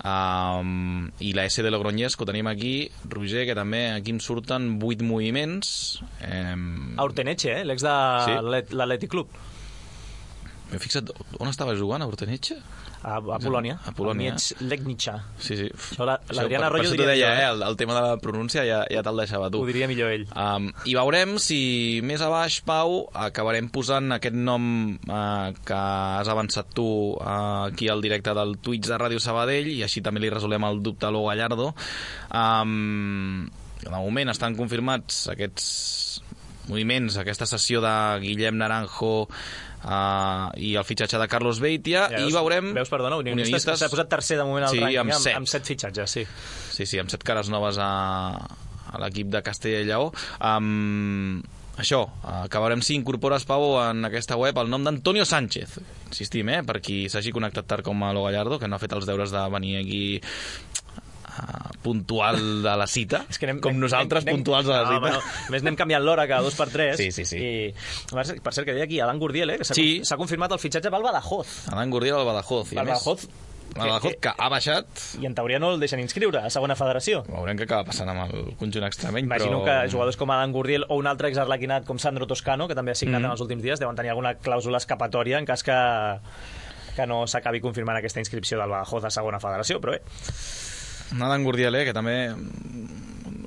um, i la S de Logroñés, que ho tenim aquí, Roger, que també aquí en surten vuit moviments, eh, a Urteneche, eh? L'ex de sí. l'Atlètic Club. M'he fixat, on estava jugant, a Urteneche? A, a Polònia. A Polònia. A Legnica. Sí, sí. L'Adriana Arroyo diria deia, eh? El, el tema de la pronúncia ja, ja te'l deixava tu. Ho diria millor ell. Um, I veurem si més a baix, Pau, acabarem posant aquest nom uh, que has avançat tu uh, aquí al directe del Twitch de Ràdio Sabadell, i així també li resolem el dubte a l'O Gallardo. Um, de moment estan confirmats aquests moviments, aquesta sessió de Guillem Naranjo uh, i el fitxatge de Carlos Beitia, ja, i veurem... Veus, perdona, Unionistes, Unionistes s'ha posat tercer de moment al sí, rànquing, amb, amb, amb set fitxatges, sí. Sí, sí, amb set cares noves a, a l'equip de Castella i Lleó. Um, això, acabarem si incorpores, Pau, en aquesta web el nom d'Antonio Sánchez. Insistim, eh, per qui s'hagi connectat tard com a Lo Gallardo, que no ha fet els deures de venir aquí... Uh, puntual de la cita, es que anem, com nosaltres anem, puntuals de la no, cita. No, més anem canviant l'hora cada dos per tres. Sí, sí, sí. I, per cert, que deia aquí Alan Gurdiel, eh, que s'ha sí. s'ha confirmat el fitxatge pel Badajoz. Alan Gurdiel al Badajoz. I el més, Badajoz, Badajoz, que, que ha baixat... I en teoria no el deixen inscriure a segona federació. Veurem què acaba passant amb el conjunt extremeny, Imagino però... que jugadors com Adam Gurdiel o un altre exarlequinat com Sandro Toscano, que també ha signat mm. en els últims dies, deuen tenir alguna clàusula escapatòria en cas que, que no s'acabi confirmant aquesta inscripció del Badajoz a segona federació, però bé. Adam Gurdiel, eh, que també...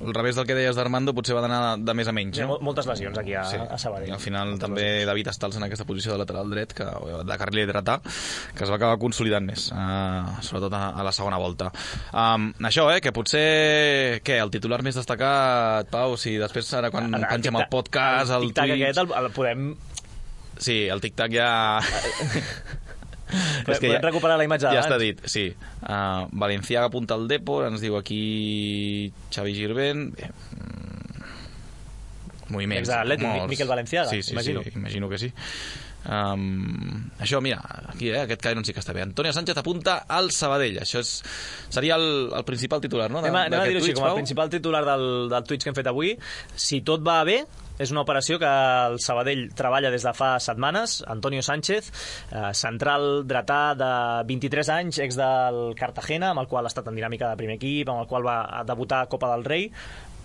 al revés del que deies d'Armando, potser va d'anar de més a menys. No? Moltes lesions aquí a, sí. a Sabadell. I al final moltes també lesions. David Estals en aquesta posició de lateral dret, que, de carril dretà, que es va acabar consolidant més, uh, sobretot a, a la segona volta. Um, això, eh, que potser... Què, el titular més destacat, Pau, si després ara quan el, pengem el podcast, el, el tic-tac aquest el, el podem... Sí, el tic-tac ja... Però podem ja, recuperar la imatge d'abans. Ja està dit, sí. Uh, Valenciaga apunta al Depor, ens diu aquí Xavi Girvent. Bé, moviments. Exatlètic, Miquel Valenciaga, sí, sí, imagino. Sí, imagino que sí. Um, això, mira, aquí, eh, aquest Cairon sí que està bé. Antonio Sánchez apunta al Sabadell. Això és, seria el, el principal titular, no? Anem a, anem a dir-ho així, com el principal titular del, del Twitch que hem fet avui. Si tot va bé, és una operació que el Sabadell treballa des de fa setmanes. Antonio Sánchez, eh, central dretà de vint-i-tres anys, ex del Cartagena, amb el qual ha estat en dinàmica de primer equip, amb el qual va debutar a Copa del Rei.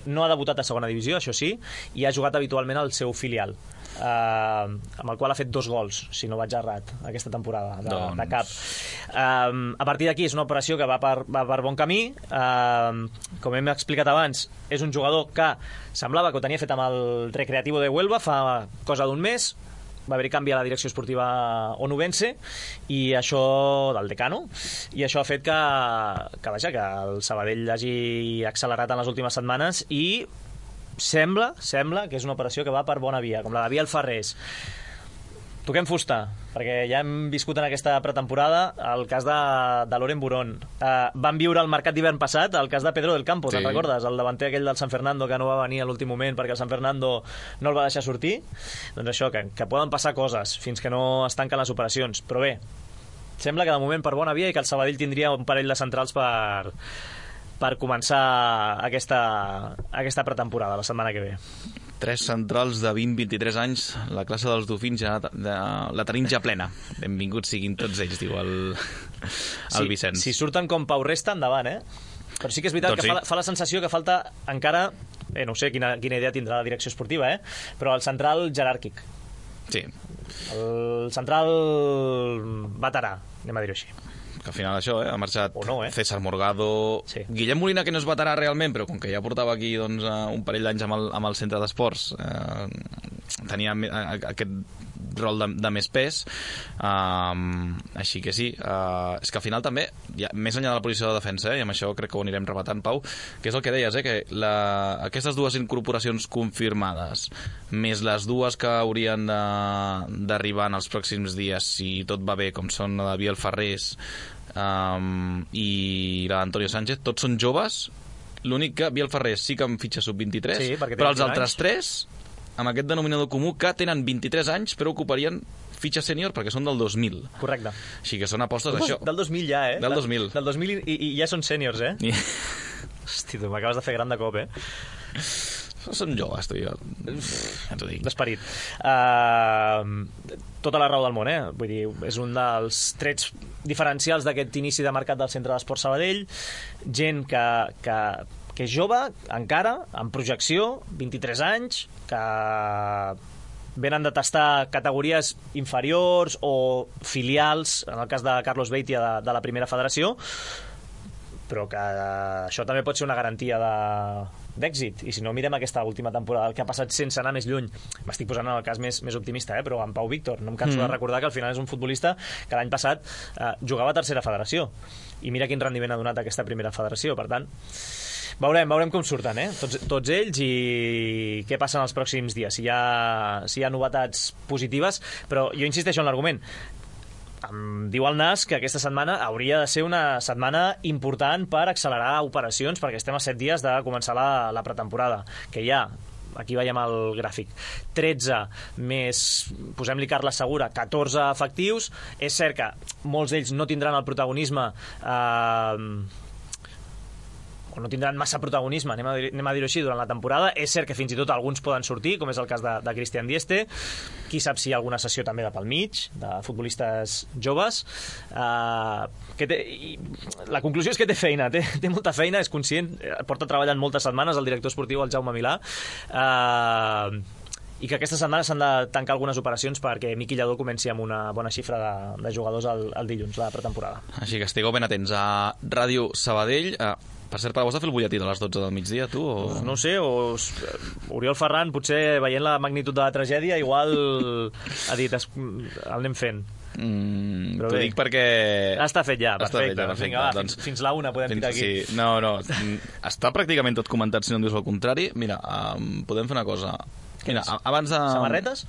No ha debutat a segona divisió, això sí, i ha jugat habitualment al seu filial, eh, amb el qual ha fet dos gols, si no vaig errat, aquesta temporada, de, doncs... de cap. Eh, a partir d'aquí és una operació que va per, va per bon camí. Eh, com hem explicat abans, és un jugador que semblava que ho tenia fet amb el Recreativo de Huelva fa cosa d'un mes. Va haver-hi canvi a la direcció esportiva onubense i això del decano, i això ha fet que, que, vaja, que el Sabadell hagi accelerat en les últimes setmanes i sembla, sembla que és una operació que va per bona via, com la de Biel Ferrés. Toquem fusta, perquè ja hem viscut en aquesta pretemporada el cas de, de Loren Burón. Uh, van viure el mercat d'hivern passat el cas de Pedro del Campo, sí. Te'n recordes? El davanter aquell del San Fernando que no va venir a l'últim moment perquè el San Fernando no el va deixar sortir. Doncs això, que, que poden passar coses fins que no es tanquen les operacions. Però bé, sembla que de moment per bona via i que el Sabadell tindria un parell de centrals per, per començar aquesta, aquesta pretemporada la setmana que ve. Tres centrals de vint a vint-i-tres anys, la classe dels dofins ja de, la tenim ja plena. Benvinguts siguin tots ells, diu el, el sí, Vicenç. Si surten com Pau Resta, endavant, eh? Però sí que és veritat doncs que sí. fa, fa la sensació que falta encara, eh, no sé quina, quina idea tindrà la direcció esportiva, eh? Però el central jeràrquic. Sí. El central veterà, anem a dir-ho així. Que al final això, eh, ha marxat no, eh? César Morgado, sí. Guillem Molina, que no es veterà realment, però com que ja portava aquí doncs, un parell d'anys amb, el, amb el centre d'esports, eh, tenia aquest rol de, de més pes, um, així que sí, uh, és que al final també, ja, més enllà de la posició de defensa, eh, i amb això crec que ho anirem rebatant, Pau, que és el que deies, eh, que la, aquestes dues incorporacions confirmades, més les dues que haurien d'arribar en els pròxims dies, si tot va bé, com són la de Biel Ferrés, Um, i l'Antonio Sánchez, tots són joves. L'únic que Biel Ferrés sí que en fitxa sub vint-i-tres, sí, però els altres anys. Tres, amb aquest denominador comú, que tenen vint-i-tres anys però ocuparien fitxa sènior perquè són del dos mil. Correcte. Així que són apostes d'això. Del dos mil ja, eh? Del dos mil. Del dos mil i, i ja són sèniors, eh? I... Hosti, tu m'acabes de fer gran de cop, eh? Són joves, tu i jo. Ja t'ho dic. D'esperit. Uh, tota la raó del món, eh? Vull dir, és un dels trets diferencials d'aquest inici de mercat del Centre d'Esport Sabadell. Gent que, que, que és jove, encara, en projecció, vint-i-tres anys, que venen de tastar categories inferiors o filials, en el cas de Carlos Beitia de, de la primera federació, però que això també pot ser una garantia de d'èxit, i si no mirem aquesta última temporada, el que ha passat sense anar més lluny, m'estic posant en el cas més, més optimista, eh? Però en Pau Víctor, no em canso mm. de recordar que al final és un futbolista que l'any passat eh, jugava a tercera federació, i mira quin rendiment ha donat aquesta primera federació. Per tant, veurem, veurem com surten, eh? tots, tots ells, i què passa en els pròxims dies, si hi ha, si hi ha novetats positives. Però jo insisteixo en l'argument. Em diu el Nas que aquesta setmana hauria de ser una setmana important per accelerar operacions, perquè estem a set dies de començar la, la pretemporada, que ja, aquí veiem el gràfic, tretze més, posem-li Carles Segura, catorze efectius. És cert que molts d'ells no tindran el protagonisme eh, o no tindran massa protagonisme, anem a, dir, anem a dir-ho així, durant la temporada. És cert que fins i tot alguns poden sortir, com és el cas de, de Christian Dieste. Qui sap si hi ha alguna sessió també de pel mig, de futbolistes joves. Uh, que té, la conclusió és que té feina, té, té molta feina, és conscient, porta treballant moltes setmanes el director esportiu, el Jaume Milà, uh, i que aquesta setmana s'han de tancar algunes operacions perquè Miqui Lladó comenci amb una bona xifra de, de jugadors el, el dilluns, la pretemporada. Així que estigueu ben atents a Ràdio Sabadell. Uh, per cert, per a vos de fer el butlletí de les dotze del migdia, tu? O... No ho sé, o Oriol Ferran, potser veient la magnitud de la tragèdia, igual ha dit, es, el anem fent. Mm, T'ho dic perquè... Està fet ja, perfecte. Fet ja, perfecte. Vinga, va, doncs, fins, fins la una podem fins, ficar aquí. Sí, no, no, està pràcticament tot comentat, si no em dius el contrari. Mira, um, podem fer una cosa. Mira, abans de... Samarretes?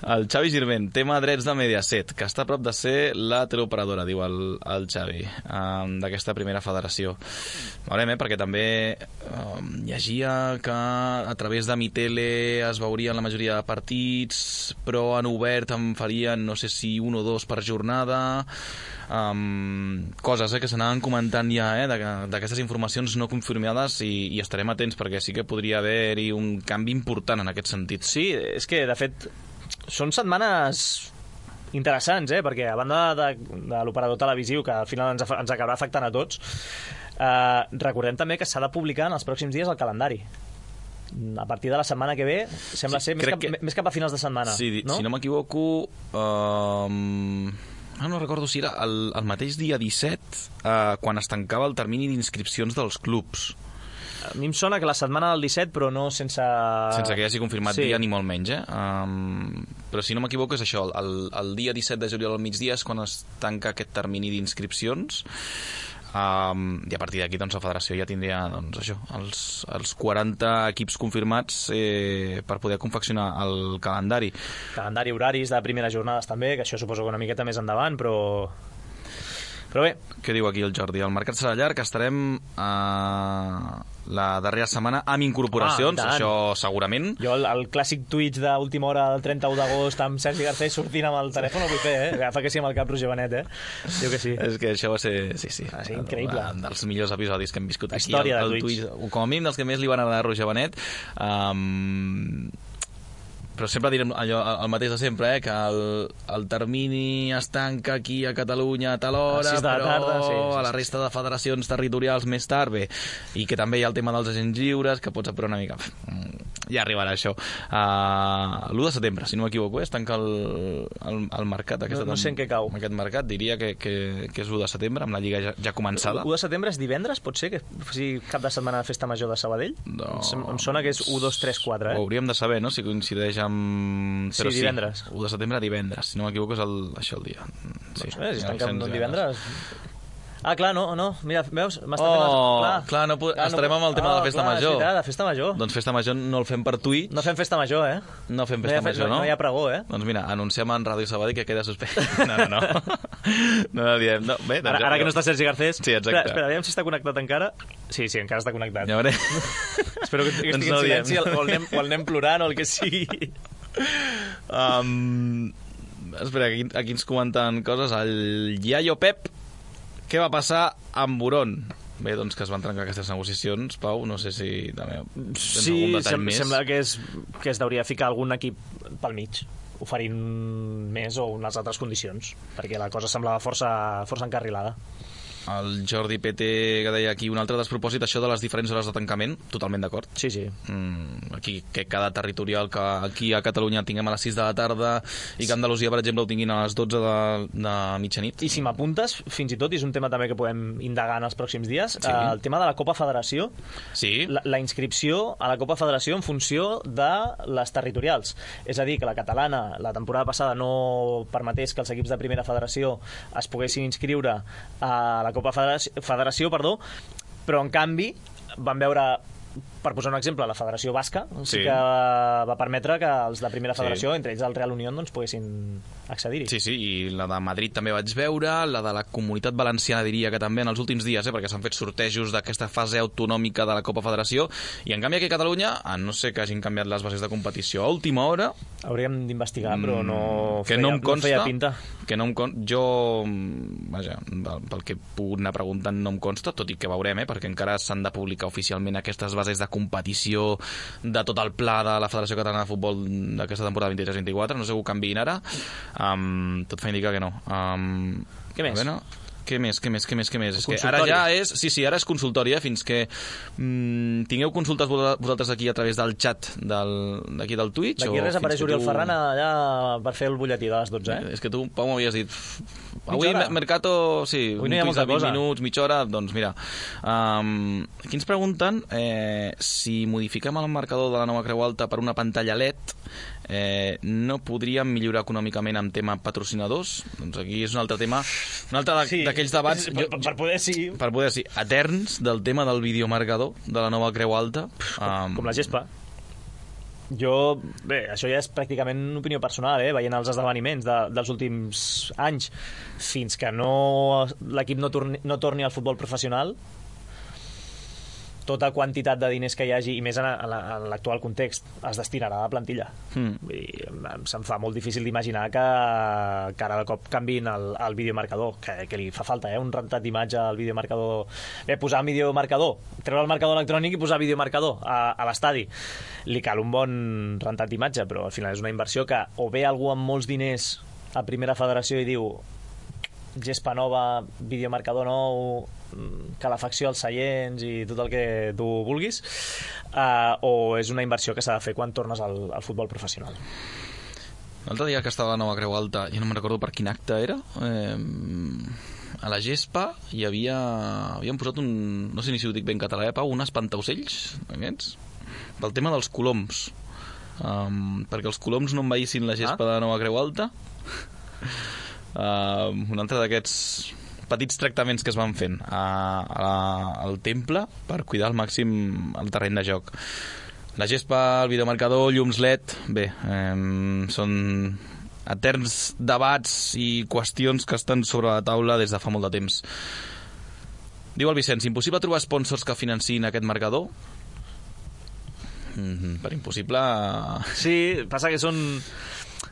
El Xavi Girvent, tema drets de Mediaset, que està a prop de ser la teleoperadora, diu el, el Xavi, um, d'aquesta primera federació. Veurem, eh, perquè també um, llegia que a través de Mitele es veurien la majoria de partits, però en obert en farien, no sé si un o dos per jornada... Um, coses eh, que s'anaven comentant ja eh, d'aquestes informacions no confirmades i, i estarem atents perquè sí que podria haver-hi un canvi important en aquest sentit. Sí, és que de fet són setmanes interessants, eh, perquè a banda de, de l'operador televisiu que al final ens, ens acabarà afectant a tots, eh, recordem també que s'ha de publicar en els pròxims dies el calendari. A partir de la setmana que ve sembla sí, ser més cap, que... més cap a finals de setmana, sí, no? Si no m'equivoco um... Ah, no recordo si era el, el mateix dia disset eh, quan es tancava el termini d'inscripcions dels clubs. A mi em sona que la setmana del disset, però no sense... Sense que hi hagi confirmat sí. dia ni molt menys, eh? Um, però si no m'equivoco és això, el, el dia disset de juliol al migdia és quan es tanca aquest termini d'inscripcions. Um, i a partir d'aquí doncs, la federació ja tindria doncs, això, els, els quaranta equips confirmats eh, per poder confeccionar el calendari. Calendari, horaris de primeres jornades també, que això suposo que una miqueta més endavant, però... Però bé. Què diu aquí el Jordi? El mercat serà llarg, estarem uh, la darrera setmana amb incorporacions, ah, això segurament. Jo el, el clàssic Twitch d'última hora del trenta-u d'agost amb Sergi Garcés sortint amb el telèfon el vull fer, eh? Agafa que sí amb el cap Roger Benet, eh? Diu que sí. És que això va ser, sí, sí. Va ser increïble. Un dels millors episodis que hem viscut aquí. Història el, el de Twitch. Twitch. Com a mínim dels que més li van agradar a Roger Benet. Um, però sempre direm allò, el mateix de sempre, eh? Que el, el termini es tanca aquí a Catalunya a tal hora, a però tarda, sí, sí, a la resta de federacions territorials més tard, bé, i que també hi ha el tema dels agents lliures, que pots apurar una mica. Ja arribarà això. Uh, l'u de setembre, si no m'equivoco, es tanca el, el, el mercat. Aquesta, no, no sé en què cau. Aquest mercat, diria que, que, que és l'u de setembre, amb la Lliga ja, ja començada. l'u de setembre és divendres, pot ser? Que sigui cap de setmana de festa major de Sabadell? No. Em, em sona que és u, dos, tres, quatre, eh? Ho hauríem de saber, no?, si coincideix amb... Però sí, divendres. Sí, u de setembre, divendres. Si no m'equivoco, és el, això el dia. Sí, doncs, eh, si es tanca el divendres... Ah, clar, no, no, mira, veus? M'està oh, fent... Clar, clar no pot... clar, estarem amb el tema oh, de la festa clar, major. És veritat, la festa major. Doncs festa major no el fem per tuit. No fem festa major, eh? No fem festa no major, no? No hi ha pregó, eh? Doncs mira, anunciem en Ràdio Sabadell que queda suspès. No, no, no. No, no diem. No, bé, ara, ara que no està Sergi Garcés... Sí, exacte. Espera, espera, aviam si està connectat encara. Sí, sí, encara està connectat. Ja veuré. Espero que, que estigui en silenci o el, anem, o el anem plorant o el que sigui. Um, espera, aquí, aquí ens comenten coses. El Iaio Pep, què va passar amb Buron? Bé, doncs que es van trencar aquestes negociacions, Pau, no sé si també tens sí, algun detall sem més. Sembla que es, que es deuria ficar algun equip pel mig, oferint més o unes altres condicions, perquè la cosa semblava força, força encarrilada. El Jordi P T que deia aquí un altre despropòsit, això de les diferents hores de tancament, totalment d'acord. Sí, sí. Mm, aquí que cada territorial que aquí a Catalunya tinguem a les sis de la tarda i que Andalusia, per exemple, ho tinguin a les dotze de, de mitjanit. I si m'apuntes, fins i tot, i és un tema també que podem indagar en els pròxims dies, sí. eh, el tema de la Copa Federació, sí. la, la inscripció a la Copa Federació en funció de les territorials. És a dir, que la catalana la temporada passada no permetés que els equips de primera federació es poguessin inscriure a la Copa Federació, Federació, perdó, però en canvi van veure per posar un exemple, la Federació Basca sí, sí que va permetre que els de primera federació, sí, entre ells el Real Unión, doncs, poguessin accedir-hi. Sí, sí, i la de Madrid també vaig veure, la de la Comunitat Valenciana diria que també en els últims dies, eh, perquè s'han fet sortejos d'aquesta fase autonòmica de la Copa Federació, i en canvi aquí a Catalunya, a no sé que hagin canviat les bases de competició a última hora... Hauríem d'investigar, però no, que feia, no em consta, no feia pinta. Que no em consta, jo, vaja, pel que he pogut anar preguntant no em consta, tot i que veurem, eh, perquè encara s'han de publicar oficialment aquestes bases de competició de tot el pla de la Federació Catalana de Futbol d'aquesta temporada vint-i-tres vint-i-quatre, no sé que ho canviïn ara, um, tot fa indicar que no. Um, Què més? Bueno, què més, què més, què més, què més? És que ara ja és... Sí, sí, ara és consultori, eh? Fins que mm, tingueu consultes vosaltres aquí a través del xat d'aquí del, del Twitch. D'aquí res apareix Oriol tu... Ferran allà per fer el butlletí de les dotze, eh? És que tu, Pau, m'havies dit... Avui Mercato, sí, avui no hi ha molta vint cosa. Minuts, mitja hora, doncs mira. Um, aquí ens pregunten eh, si modifiquem el marcador de la nova Creu Alta per una pantalla L E D, eh, no podríem millorar econòmicament amb tema patrocinadors? Doncs aquí és un altre tema, un altre sí, d'aquells debats... Per, per poder, sí. Per poder, sí, eterns del tema del videomarcador de la nova Creu Alta. Um, com la gespa. Jo, bé, això ja és pràcticament una opinió personal, eh? Veient els esdeveniments de, dels últims anys, fins que no l'equip no torni, no torni al futbol professional, tota quantitat de diners que hi hagi, i més en, en l'actual context, es destinarà a plantilla. Mm. I se'm fa molt difícil d'imaginar que, que ara de cop canviïn el, el videomarcador, que, que li fa falta, eh? Un rentat d'imatge al videomarcador. Bé, posar videomarcador, treure el marcador electrònic i posar videomarcador a, a l'estadi. Li cal un bon rentat d'imatge, però al final és una inversió que o ve algú amb molts diners a primera federació i diu gespa nova, videomarcador nou, calefacció als seients i tot el que tu vulguis, uh, o és una inversió que s'ha de fer quan tornes al, al futbol professional. L'altre dia que estava a la nova Creu Alta, jo no me'n recordo per quin acte era, eh, a la gespa hi havia... Havíem posat un... No sé ni si ho dic ben català, eh, Pau? Un espantaocells, aquests, pel tema dels coloms. Um, perquè els coloms no envaïssin la gespa ah? de la nova Creu Alta. Uh, un altre d'aquests petits tractaments que es van fent a, a, al temple per cuidar al màxim el terreny de joc. La gespa, el videomarcador, llums L E D, bé, eh, són eterns debats i qüestions que estan sobre la taula des de fa molt de temps. Diu el Vicenç, impossible trobar sponsors que financin aquest marcador? Mm-hmm, per impossible... Sí, passa que són...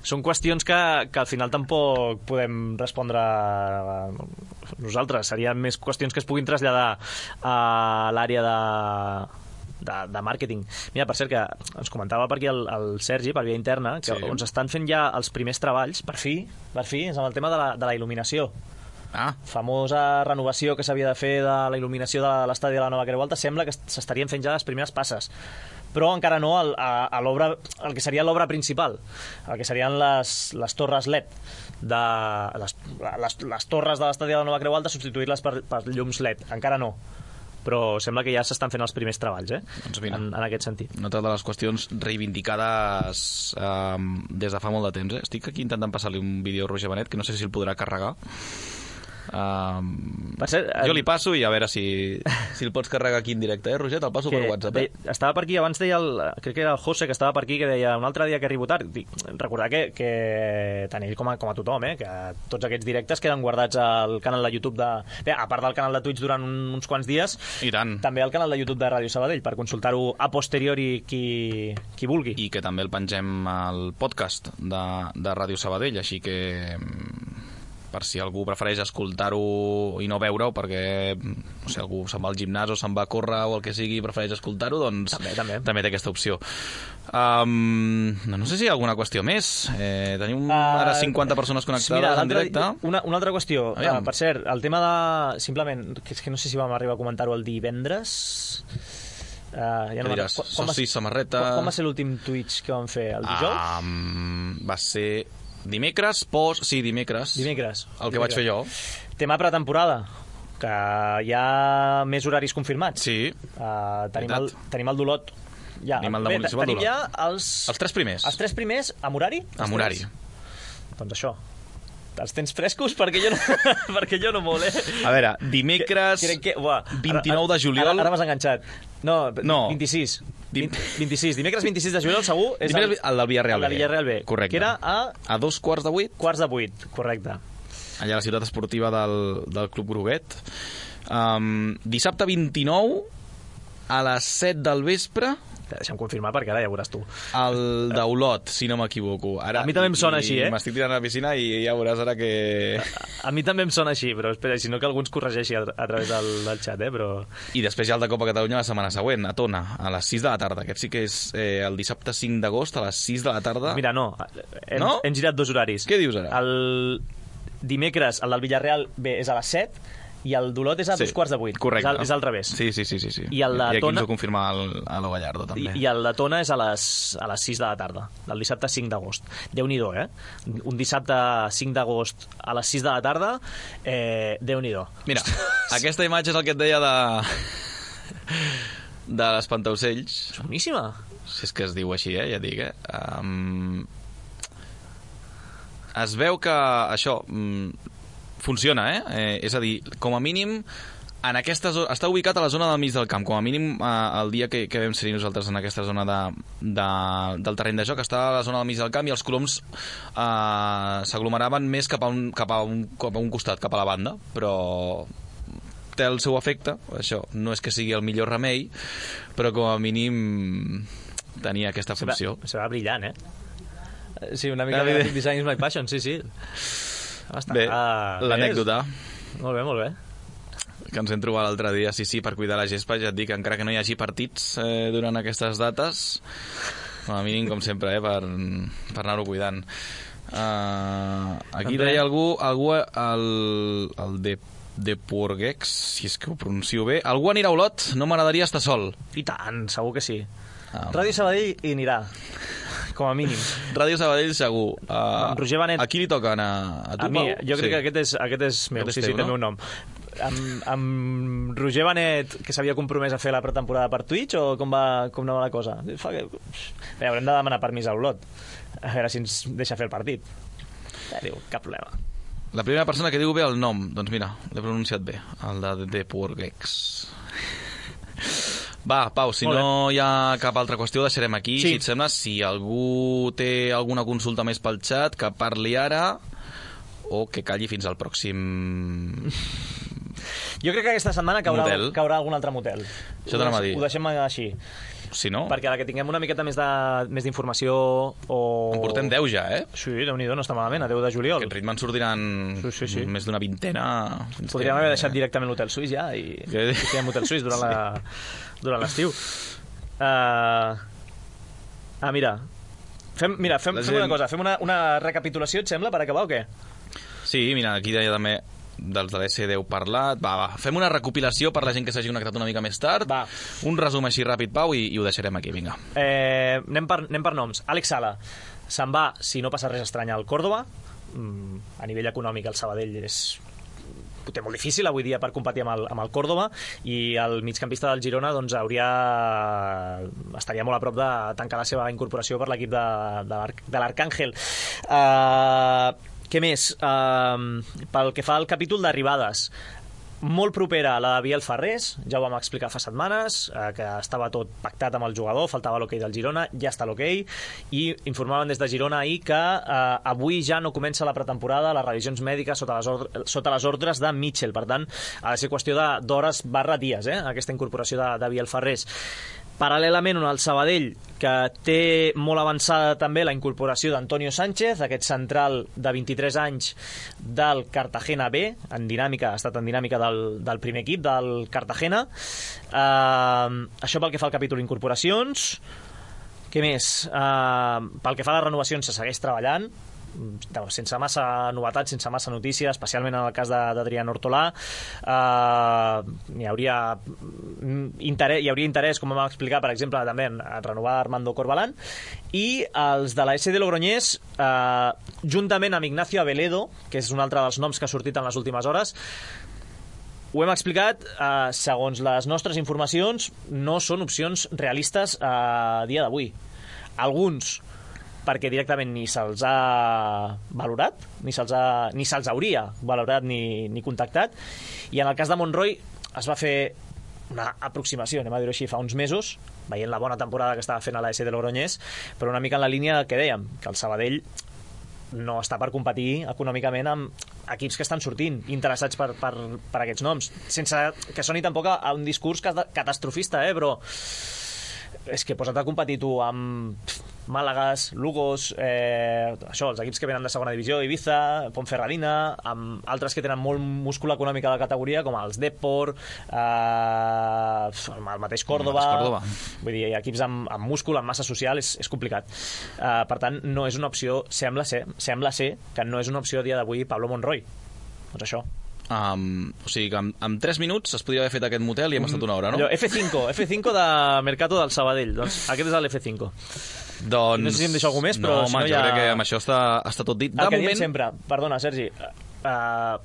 Són qüestions que, que al final tampoc podem respondre nosaltres. Serien més qüestions que es puguin traslladar a l'àrea de, de, de màrqueting. Mira, per cert, que ens comentava per aquí el, el Sergi, per via interna, que sí, on s'estan fent ja els primers treballs, per fi, per fi, és amb el tema de la, de la il·luminació. Ah. Famosa renovació que s'havia de fer de la il·luminació de l'estadi de la nova Creu Alta, sembla que s'estarien fent ja les primeres passes, però encara no a, a, a l'obra, el que seria l'obra principal, el que serien les, les torres L E D de, les, les, les torres de l'estadi de la nova Creu Alta, substituir-les per, per llums L E D, encara no, però sembla que ja s'estan fent els primers treballs, eh? Doncs mira, en, en aquest sentit. Una altra de les qüestions reivindicades eh, des de fa molt de temps, eh? Estic aquí intentant passar-li un vídeo a Roger Benet, que no sé si el podrà carregar. Um, ser, jo li passo i a veure si, si el pots carregar aquí en directe, eh, Roger? Te'l passo que, per WhatsApp, eh? De, estava per aquí, abans deia el, crec que era el José que estava per aquí, que deia un altre dia que arribo tard. Dic, recordar que, que tant ell com a, com a tothom, eh, que tots aquests directes queden guardats al canal de YouTube de... Bé, a part del canal de Twitch durant un, uns quants dies, i tant, també al canal de YouTube de Ràdio Sabadell, per consultar-ho a posteriori qui, qui vulgui. I que també el pengem al podcast de, de Ràdio Sabadell, així que... per si algú prefereix escoltar-ho i no veure-ho, perquè no sé, algú se'n va al gimnàs o se'n va a córrer o el que sigui i prefereix escoltar-ho, doncs també, també. també té aquesta opció. Um, no, no sé si hi ha alguna qüestió més. Eh, tenim uh, ara cinquanta persones connectades mira, en directe. Una, una altra qüestió. Uh, per cert, el tema de... Simplement, que és que no sé si vam arribar a comentar-ho el divendres... Uh, ja no diràs, quan, quan soci, samarreta... Quan, quan va ser l'últim Twitch que vam fer? El dijous? Um, va ser... Dimecres, post... Sí, dimecres. Dimecres. El que dimecres. vaig fer jo. Tema pretemporada, que hi ha més horaris confirmats. Sí. Uh, tenim, el, tenim el d'Olot. Ja. Tenim el de Municipal Bé, tenim d'Olot. ja els... Els tres primers. Els tres primers, amb horari? Amb horari. Doncs això. els tens frescos? Perquè jo no, perquè jo no molt, eh? A veure, dimecres crec que, uah, vint-i-nou de juliol... Ara, ara m'has enganxat. No, no. vint-i-sis. Dim... vint-i-sis. Dimecres vint-i-sis de juliol, segur, és el, el del Villarreal B. El del Villarreal B. Correcte. Que era a... A dos quarts de vuit. Quarts de vuit, correcte. Allà a la ciutat esportiva del, del Club Groguet. Um, dissabte vint-i-nou, a les set del vespre... Deixa'm confirmar perquè ara ja veuràs tu. El d'Olot, si no m'equivoco. Ara, a mi també em sona així, eh? M'estic tirant a la piscina i ja veuràs ara que... A, a mi també em sona així, però espera, si no que algú ens corregeixi a, a través del, del xat, eh? Però... I després ja el de Copa Catalunya la setmana següent, a Tona, a les sis de la tarda. Aquest sí que és eh, el dissabte cinc d'agost, a les sis de la tarda. Mira, no, hem, no? hem girat dos horaris. Què dius ara? El dimecres, el del Villarreal B és a les set, i el d'Olot és a sí, dos quarts de vuit. Correcte. És al, és al revés. Sí, sí, sí. sí, sí. I, el de I aquí Tona... ens ho confirma el, a lo Gallardo, també. I, I el de Tona és a les, a les sis de la tarda, del dissabte cinc d'agost. Déu-n'hi-do, eh? Un dissabte cinc d'agost a les sis de la tarda, eh, Déu-n'hi-do. Mira, aquesta imatge és el que et deia de... de l'Espantaocells. És boníssima. Si és que es diu així, eh? Ja dic, eh? Um... Es veu que això... Um... funciona, eh? eh? És a dir, com a mínim en aquesta zona, està ubicat a la zona del mig del camp, com a mínim eh, el dia que, que vam ser nosaltres en aquesta zona de, de, del terreny de joc, està a la zona del mig del camp i els coloms eh, s'aglomeraven més cap a, un, cap, a un, cap a un costat, cap a la banda, però té el seu efecte, això no és que sigui el millor remei, però com a mínim tenia aquesta funció. Se va, se va brillant, eh? Sí, una mica de design is my passion, sí, sí. Bé, ah, l'anècdota. Molt bé, molt bé. Que ens hem trobat l'altre dia, sí, sí, per cuidar la gespa, ja et dic, encara que no hi hagi partits eh, durant aquestes dates, com a mínim, com sempre, eh, per, per anar-ho cuidant. Uh, aquí deia algú, algú el, el de, de Porgex, si és que ho pronuncio bé, algú anirà a Olot? No m'agradaria estar sol. I tant, segur que sí. Ah, Ràdio Sabadell hi anirà, com a mínim. Ràdio Sabadell segur. Uh, Roger Benet. A qui li toca anar? A tu, a mi, Pau? jo crec sí. que aquest és, aquest és meu, aquest sí, és sí, teu, té no? el meu nom. Amb, amb Roger Benet, que s'havia compromès a fer la pretemporada per Twitch, o com, va, com anava la cosa? Fa que... Bé, haurem de demanar permís a Olot, a veure si ens deixa fer el partit. Ja, diu, cap problema. La primera persona que diu bé el nom, doncs mira, l'he pronunciat bé, el de The Porgex. Va, Pau, si no hi ha cap altra qüestió, deixarem aquí, sí. Si et sembla. Si algú té alguna consulta més pel xat, que parli ara o que calli fins al pròxim... Jo crec que aquesta setmana caurà, motel. caurà algun altre motel. Això t'anava a dir. Ho deixem així. Si no... Perquè a la que tinguem una miqueta més de més d'informació o... En portem deu ja, eh? Sí, Déu-n'hi-do, no està malament, a deu de juliol. Aquest ritme en sortiran sí, sí, sí. més d'una vintena... Podríem que... haver deixat directament l'hotel suís ja i, que... i fèiem hotel suís durant la... durant l'estiu. Uh... Ah, mira. Fem, mira, fem, fem gent... una cosa. Fem una, una recapitulació, et sembla, per acabar o què? Sí, mira, aquí deia també dels de l'S deu parlat. Va, va, fem una recopilació per la gent que s'hagi connectat una mica més tard. Va. Un resum així ràpid, Pau, i, i ho deixarem aquí, vinga. Eh, anem, per, anem per noms. Àlex Sala se'n va, si no passa res estrany, al Córdoba. Mm, a nivell econòmic, el Sabadell és... ho té molt difícil avui dia per competir amb el, amb el Córdoba, i el migcampista del Girona doncs, hauria estaria molt a prop de tancar la seva incorporació per l'equip de, de l'Arcàngel. Uh, què més? Uh, pel que fa al capítol d'arribades, molt propera a la de Biel Ferrés, ja ho vam explicar fa setmanes, eh, que estava tot pactat amb el jugador, faltava l'hoquei del Girona, ja està l'hoquei, i informaven des de Girona ahir que eh, avui ja no comença la pretemporada, les revisions mèdiques sota les, ordres, sota les ordres de Mitchell, per tant ha de ser qüestió d'hores barra dies, eh, aquesta incorporació de, de Biel Ferrés. Paral·lelament, el Sabadell, que té molt avançada també la incorporació d'Antonio Sánchez, aquest central de vint-i-tres anys del Cartagena B, en dinàmica, ha estat en dinàmica del, del primer equip, del Cartagena. Uh, això pel que fa al capítol incorporacions. Què més? Uh, pel que fa a les renovacions, se segueix treballant, sense massa novetats, sense massa notícies, especialment en el cas d'Adrián Hortolà. Uh, hi hauria interès, hi hauria interès, com vam explicar, per exemple, també en renovar Armando Corbalán, i els de la S D Logroñés, uh, juntament amb Ignacio Aveledo, que és un altre dels noms que ha sortit en les últimes hores, ho hem explicat, eh, segons les nostres informacions, no són opcions realistes a dia d'avui. Alguns perquè directament ni se'ls ha valorat, ni se'ls ha, ni se'ls hauria valorat ni, ni contactat, i en el cas de Monroy es va fer una aproximació, anem a dir-ho així, fa uns mesos, veient la bona temporada que estava fent a l'A S de Logroñés, però una mica en la línia que dèiem, que el Sabadell no està per competir econòmicament amb equips que estan sortint interessats per, per, per aquests noms, sense que soni tampoc a un discurs catastrofista, eh? Però és que posa't a competir tu amb Màlagas, Lugos, eh, això, els equips que venen de segona divisió, Ibiza, Ponferradina, amb altres que tenen molt múscul econòmic a la categoria, com els Depor, eh, el mateix Córdoba, el Córdoba. Vull dir, equips amb, amb múscul, amb massa social, és, és complicat. Eh, per tant, no és una opció, sembla ser, sembla ser que no és una opció a dia d'avui Pablo Monroy. Doncs això. Um, o sigui que amb, amb tres minuts es podia haver fet aquest motel i hem estat una hora, no? Allò, F cinco, F cinco de Mercato del Sabadell. Doncs aquest és l'F cinco. Doncs... No sé si em deixo algú més, però no, si no home, ja... jo crec que amb això està, està tot dit. De el que moment... diem sempre, perdona, Sergi, uh,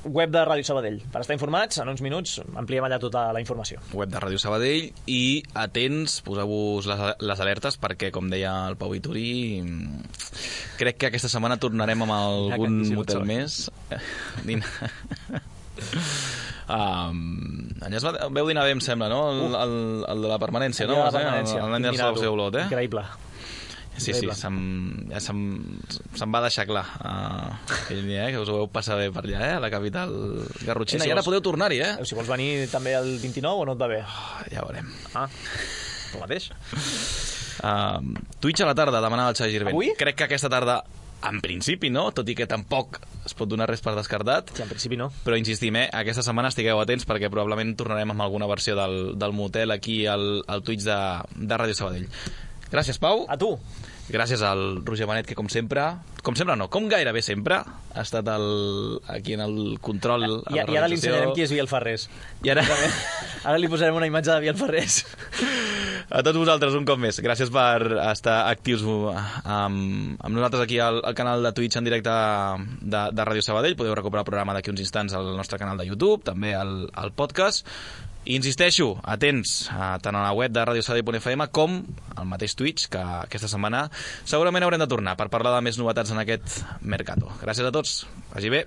web de Ràdio Sabadell. Per estar informats, en uns minuts ampliem allà tota la informació. Web de Ràdio Sabadell, i atents, poseu-vos les, les alertes, perquè, com deia el Pau Vituri, crec que aquesta setmana tornarem amb algun motel més. Um, Agnès, veu dinar bé, em sembla, no? El, el, el de la permanència, no? El de la permanència. L'Agnès Salvador Olot, eh? Increïble. Sí, sí, se'm, ja se'm, se'm va deixar clar uh, aquell dia, eh, que us ho vau passar bé per allà, eh, a la capital garrotxina, sí, si i ara vols... podeu tornar-hi, eh? Si vols venir també el vint-i-nou o no et va bé? Oh, ja veurem. Ah, tu mateix. Uh, Twitch a la tarda, demanava el Xavi Girvent. Avui? Crec que aquesta tarda, en principi, no? Tot i que tampoc es pot donar res per descartat. Sí, en principi no. Però insistim, eh? Aquesta setmana estigueu atents perquè probablement tornarem amb alguna versió del, del motel aquí al, al Twitch de, de Ràdio Sabadell. Gràcies, Pau. A tu. Gràcies al Roger Benet, que com sempre, com sempre no, com gairebé sempre, ha estat el, aquí en el control. I, i ara li ensenyarem qui és Biel Ferrés. I ara... ara li posarem una imatge de Biel Ferrés. A tots vosaltres, un cop més, gràcies per estar actius amb, amb nosaltres aquí al, al canal de Twitch en directe de, de Ràdio Sabadell. Podeu recuperar el programa d'aquí uns instants al nostre canal de YouTube, també al, al podcast. I insisteixo, atents, a, tant a la web de radio sabadell punt f m com al mateix Twitch, que aquesta setmana segurament haurem de tornar per parlar de més novetats en aquest Mercato. Gràcies a tots, vagi bé.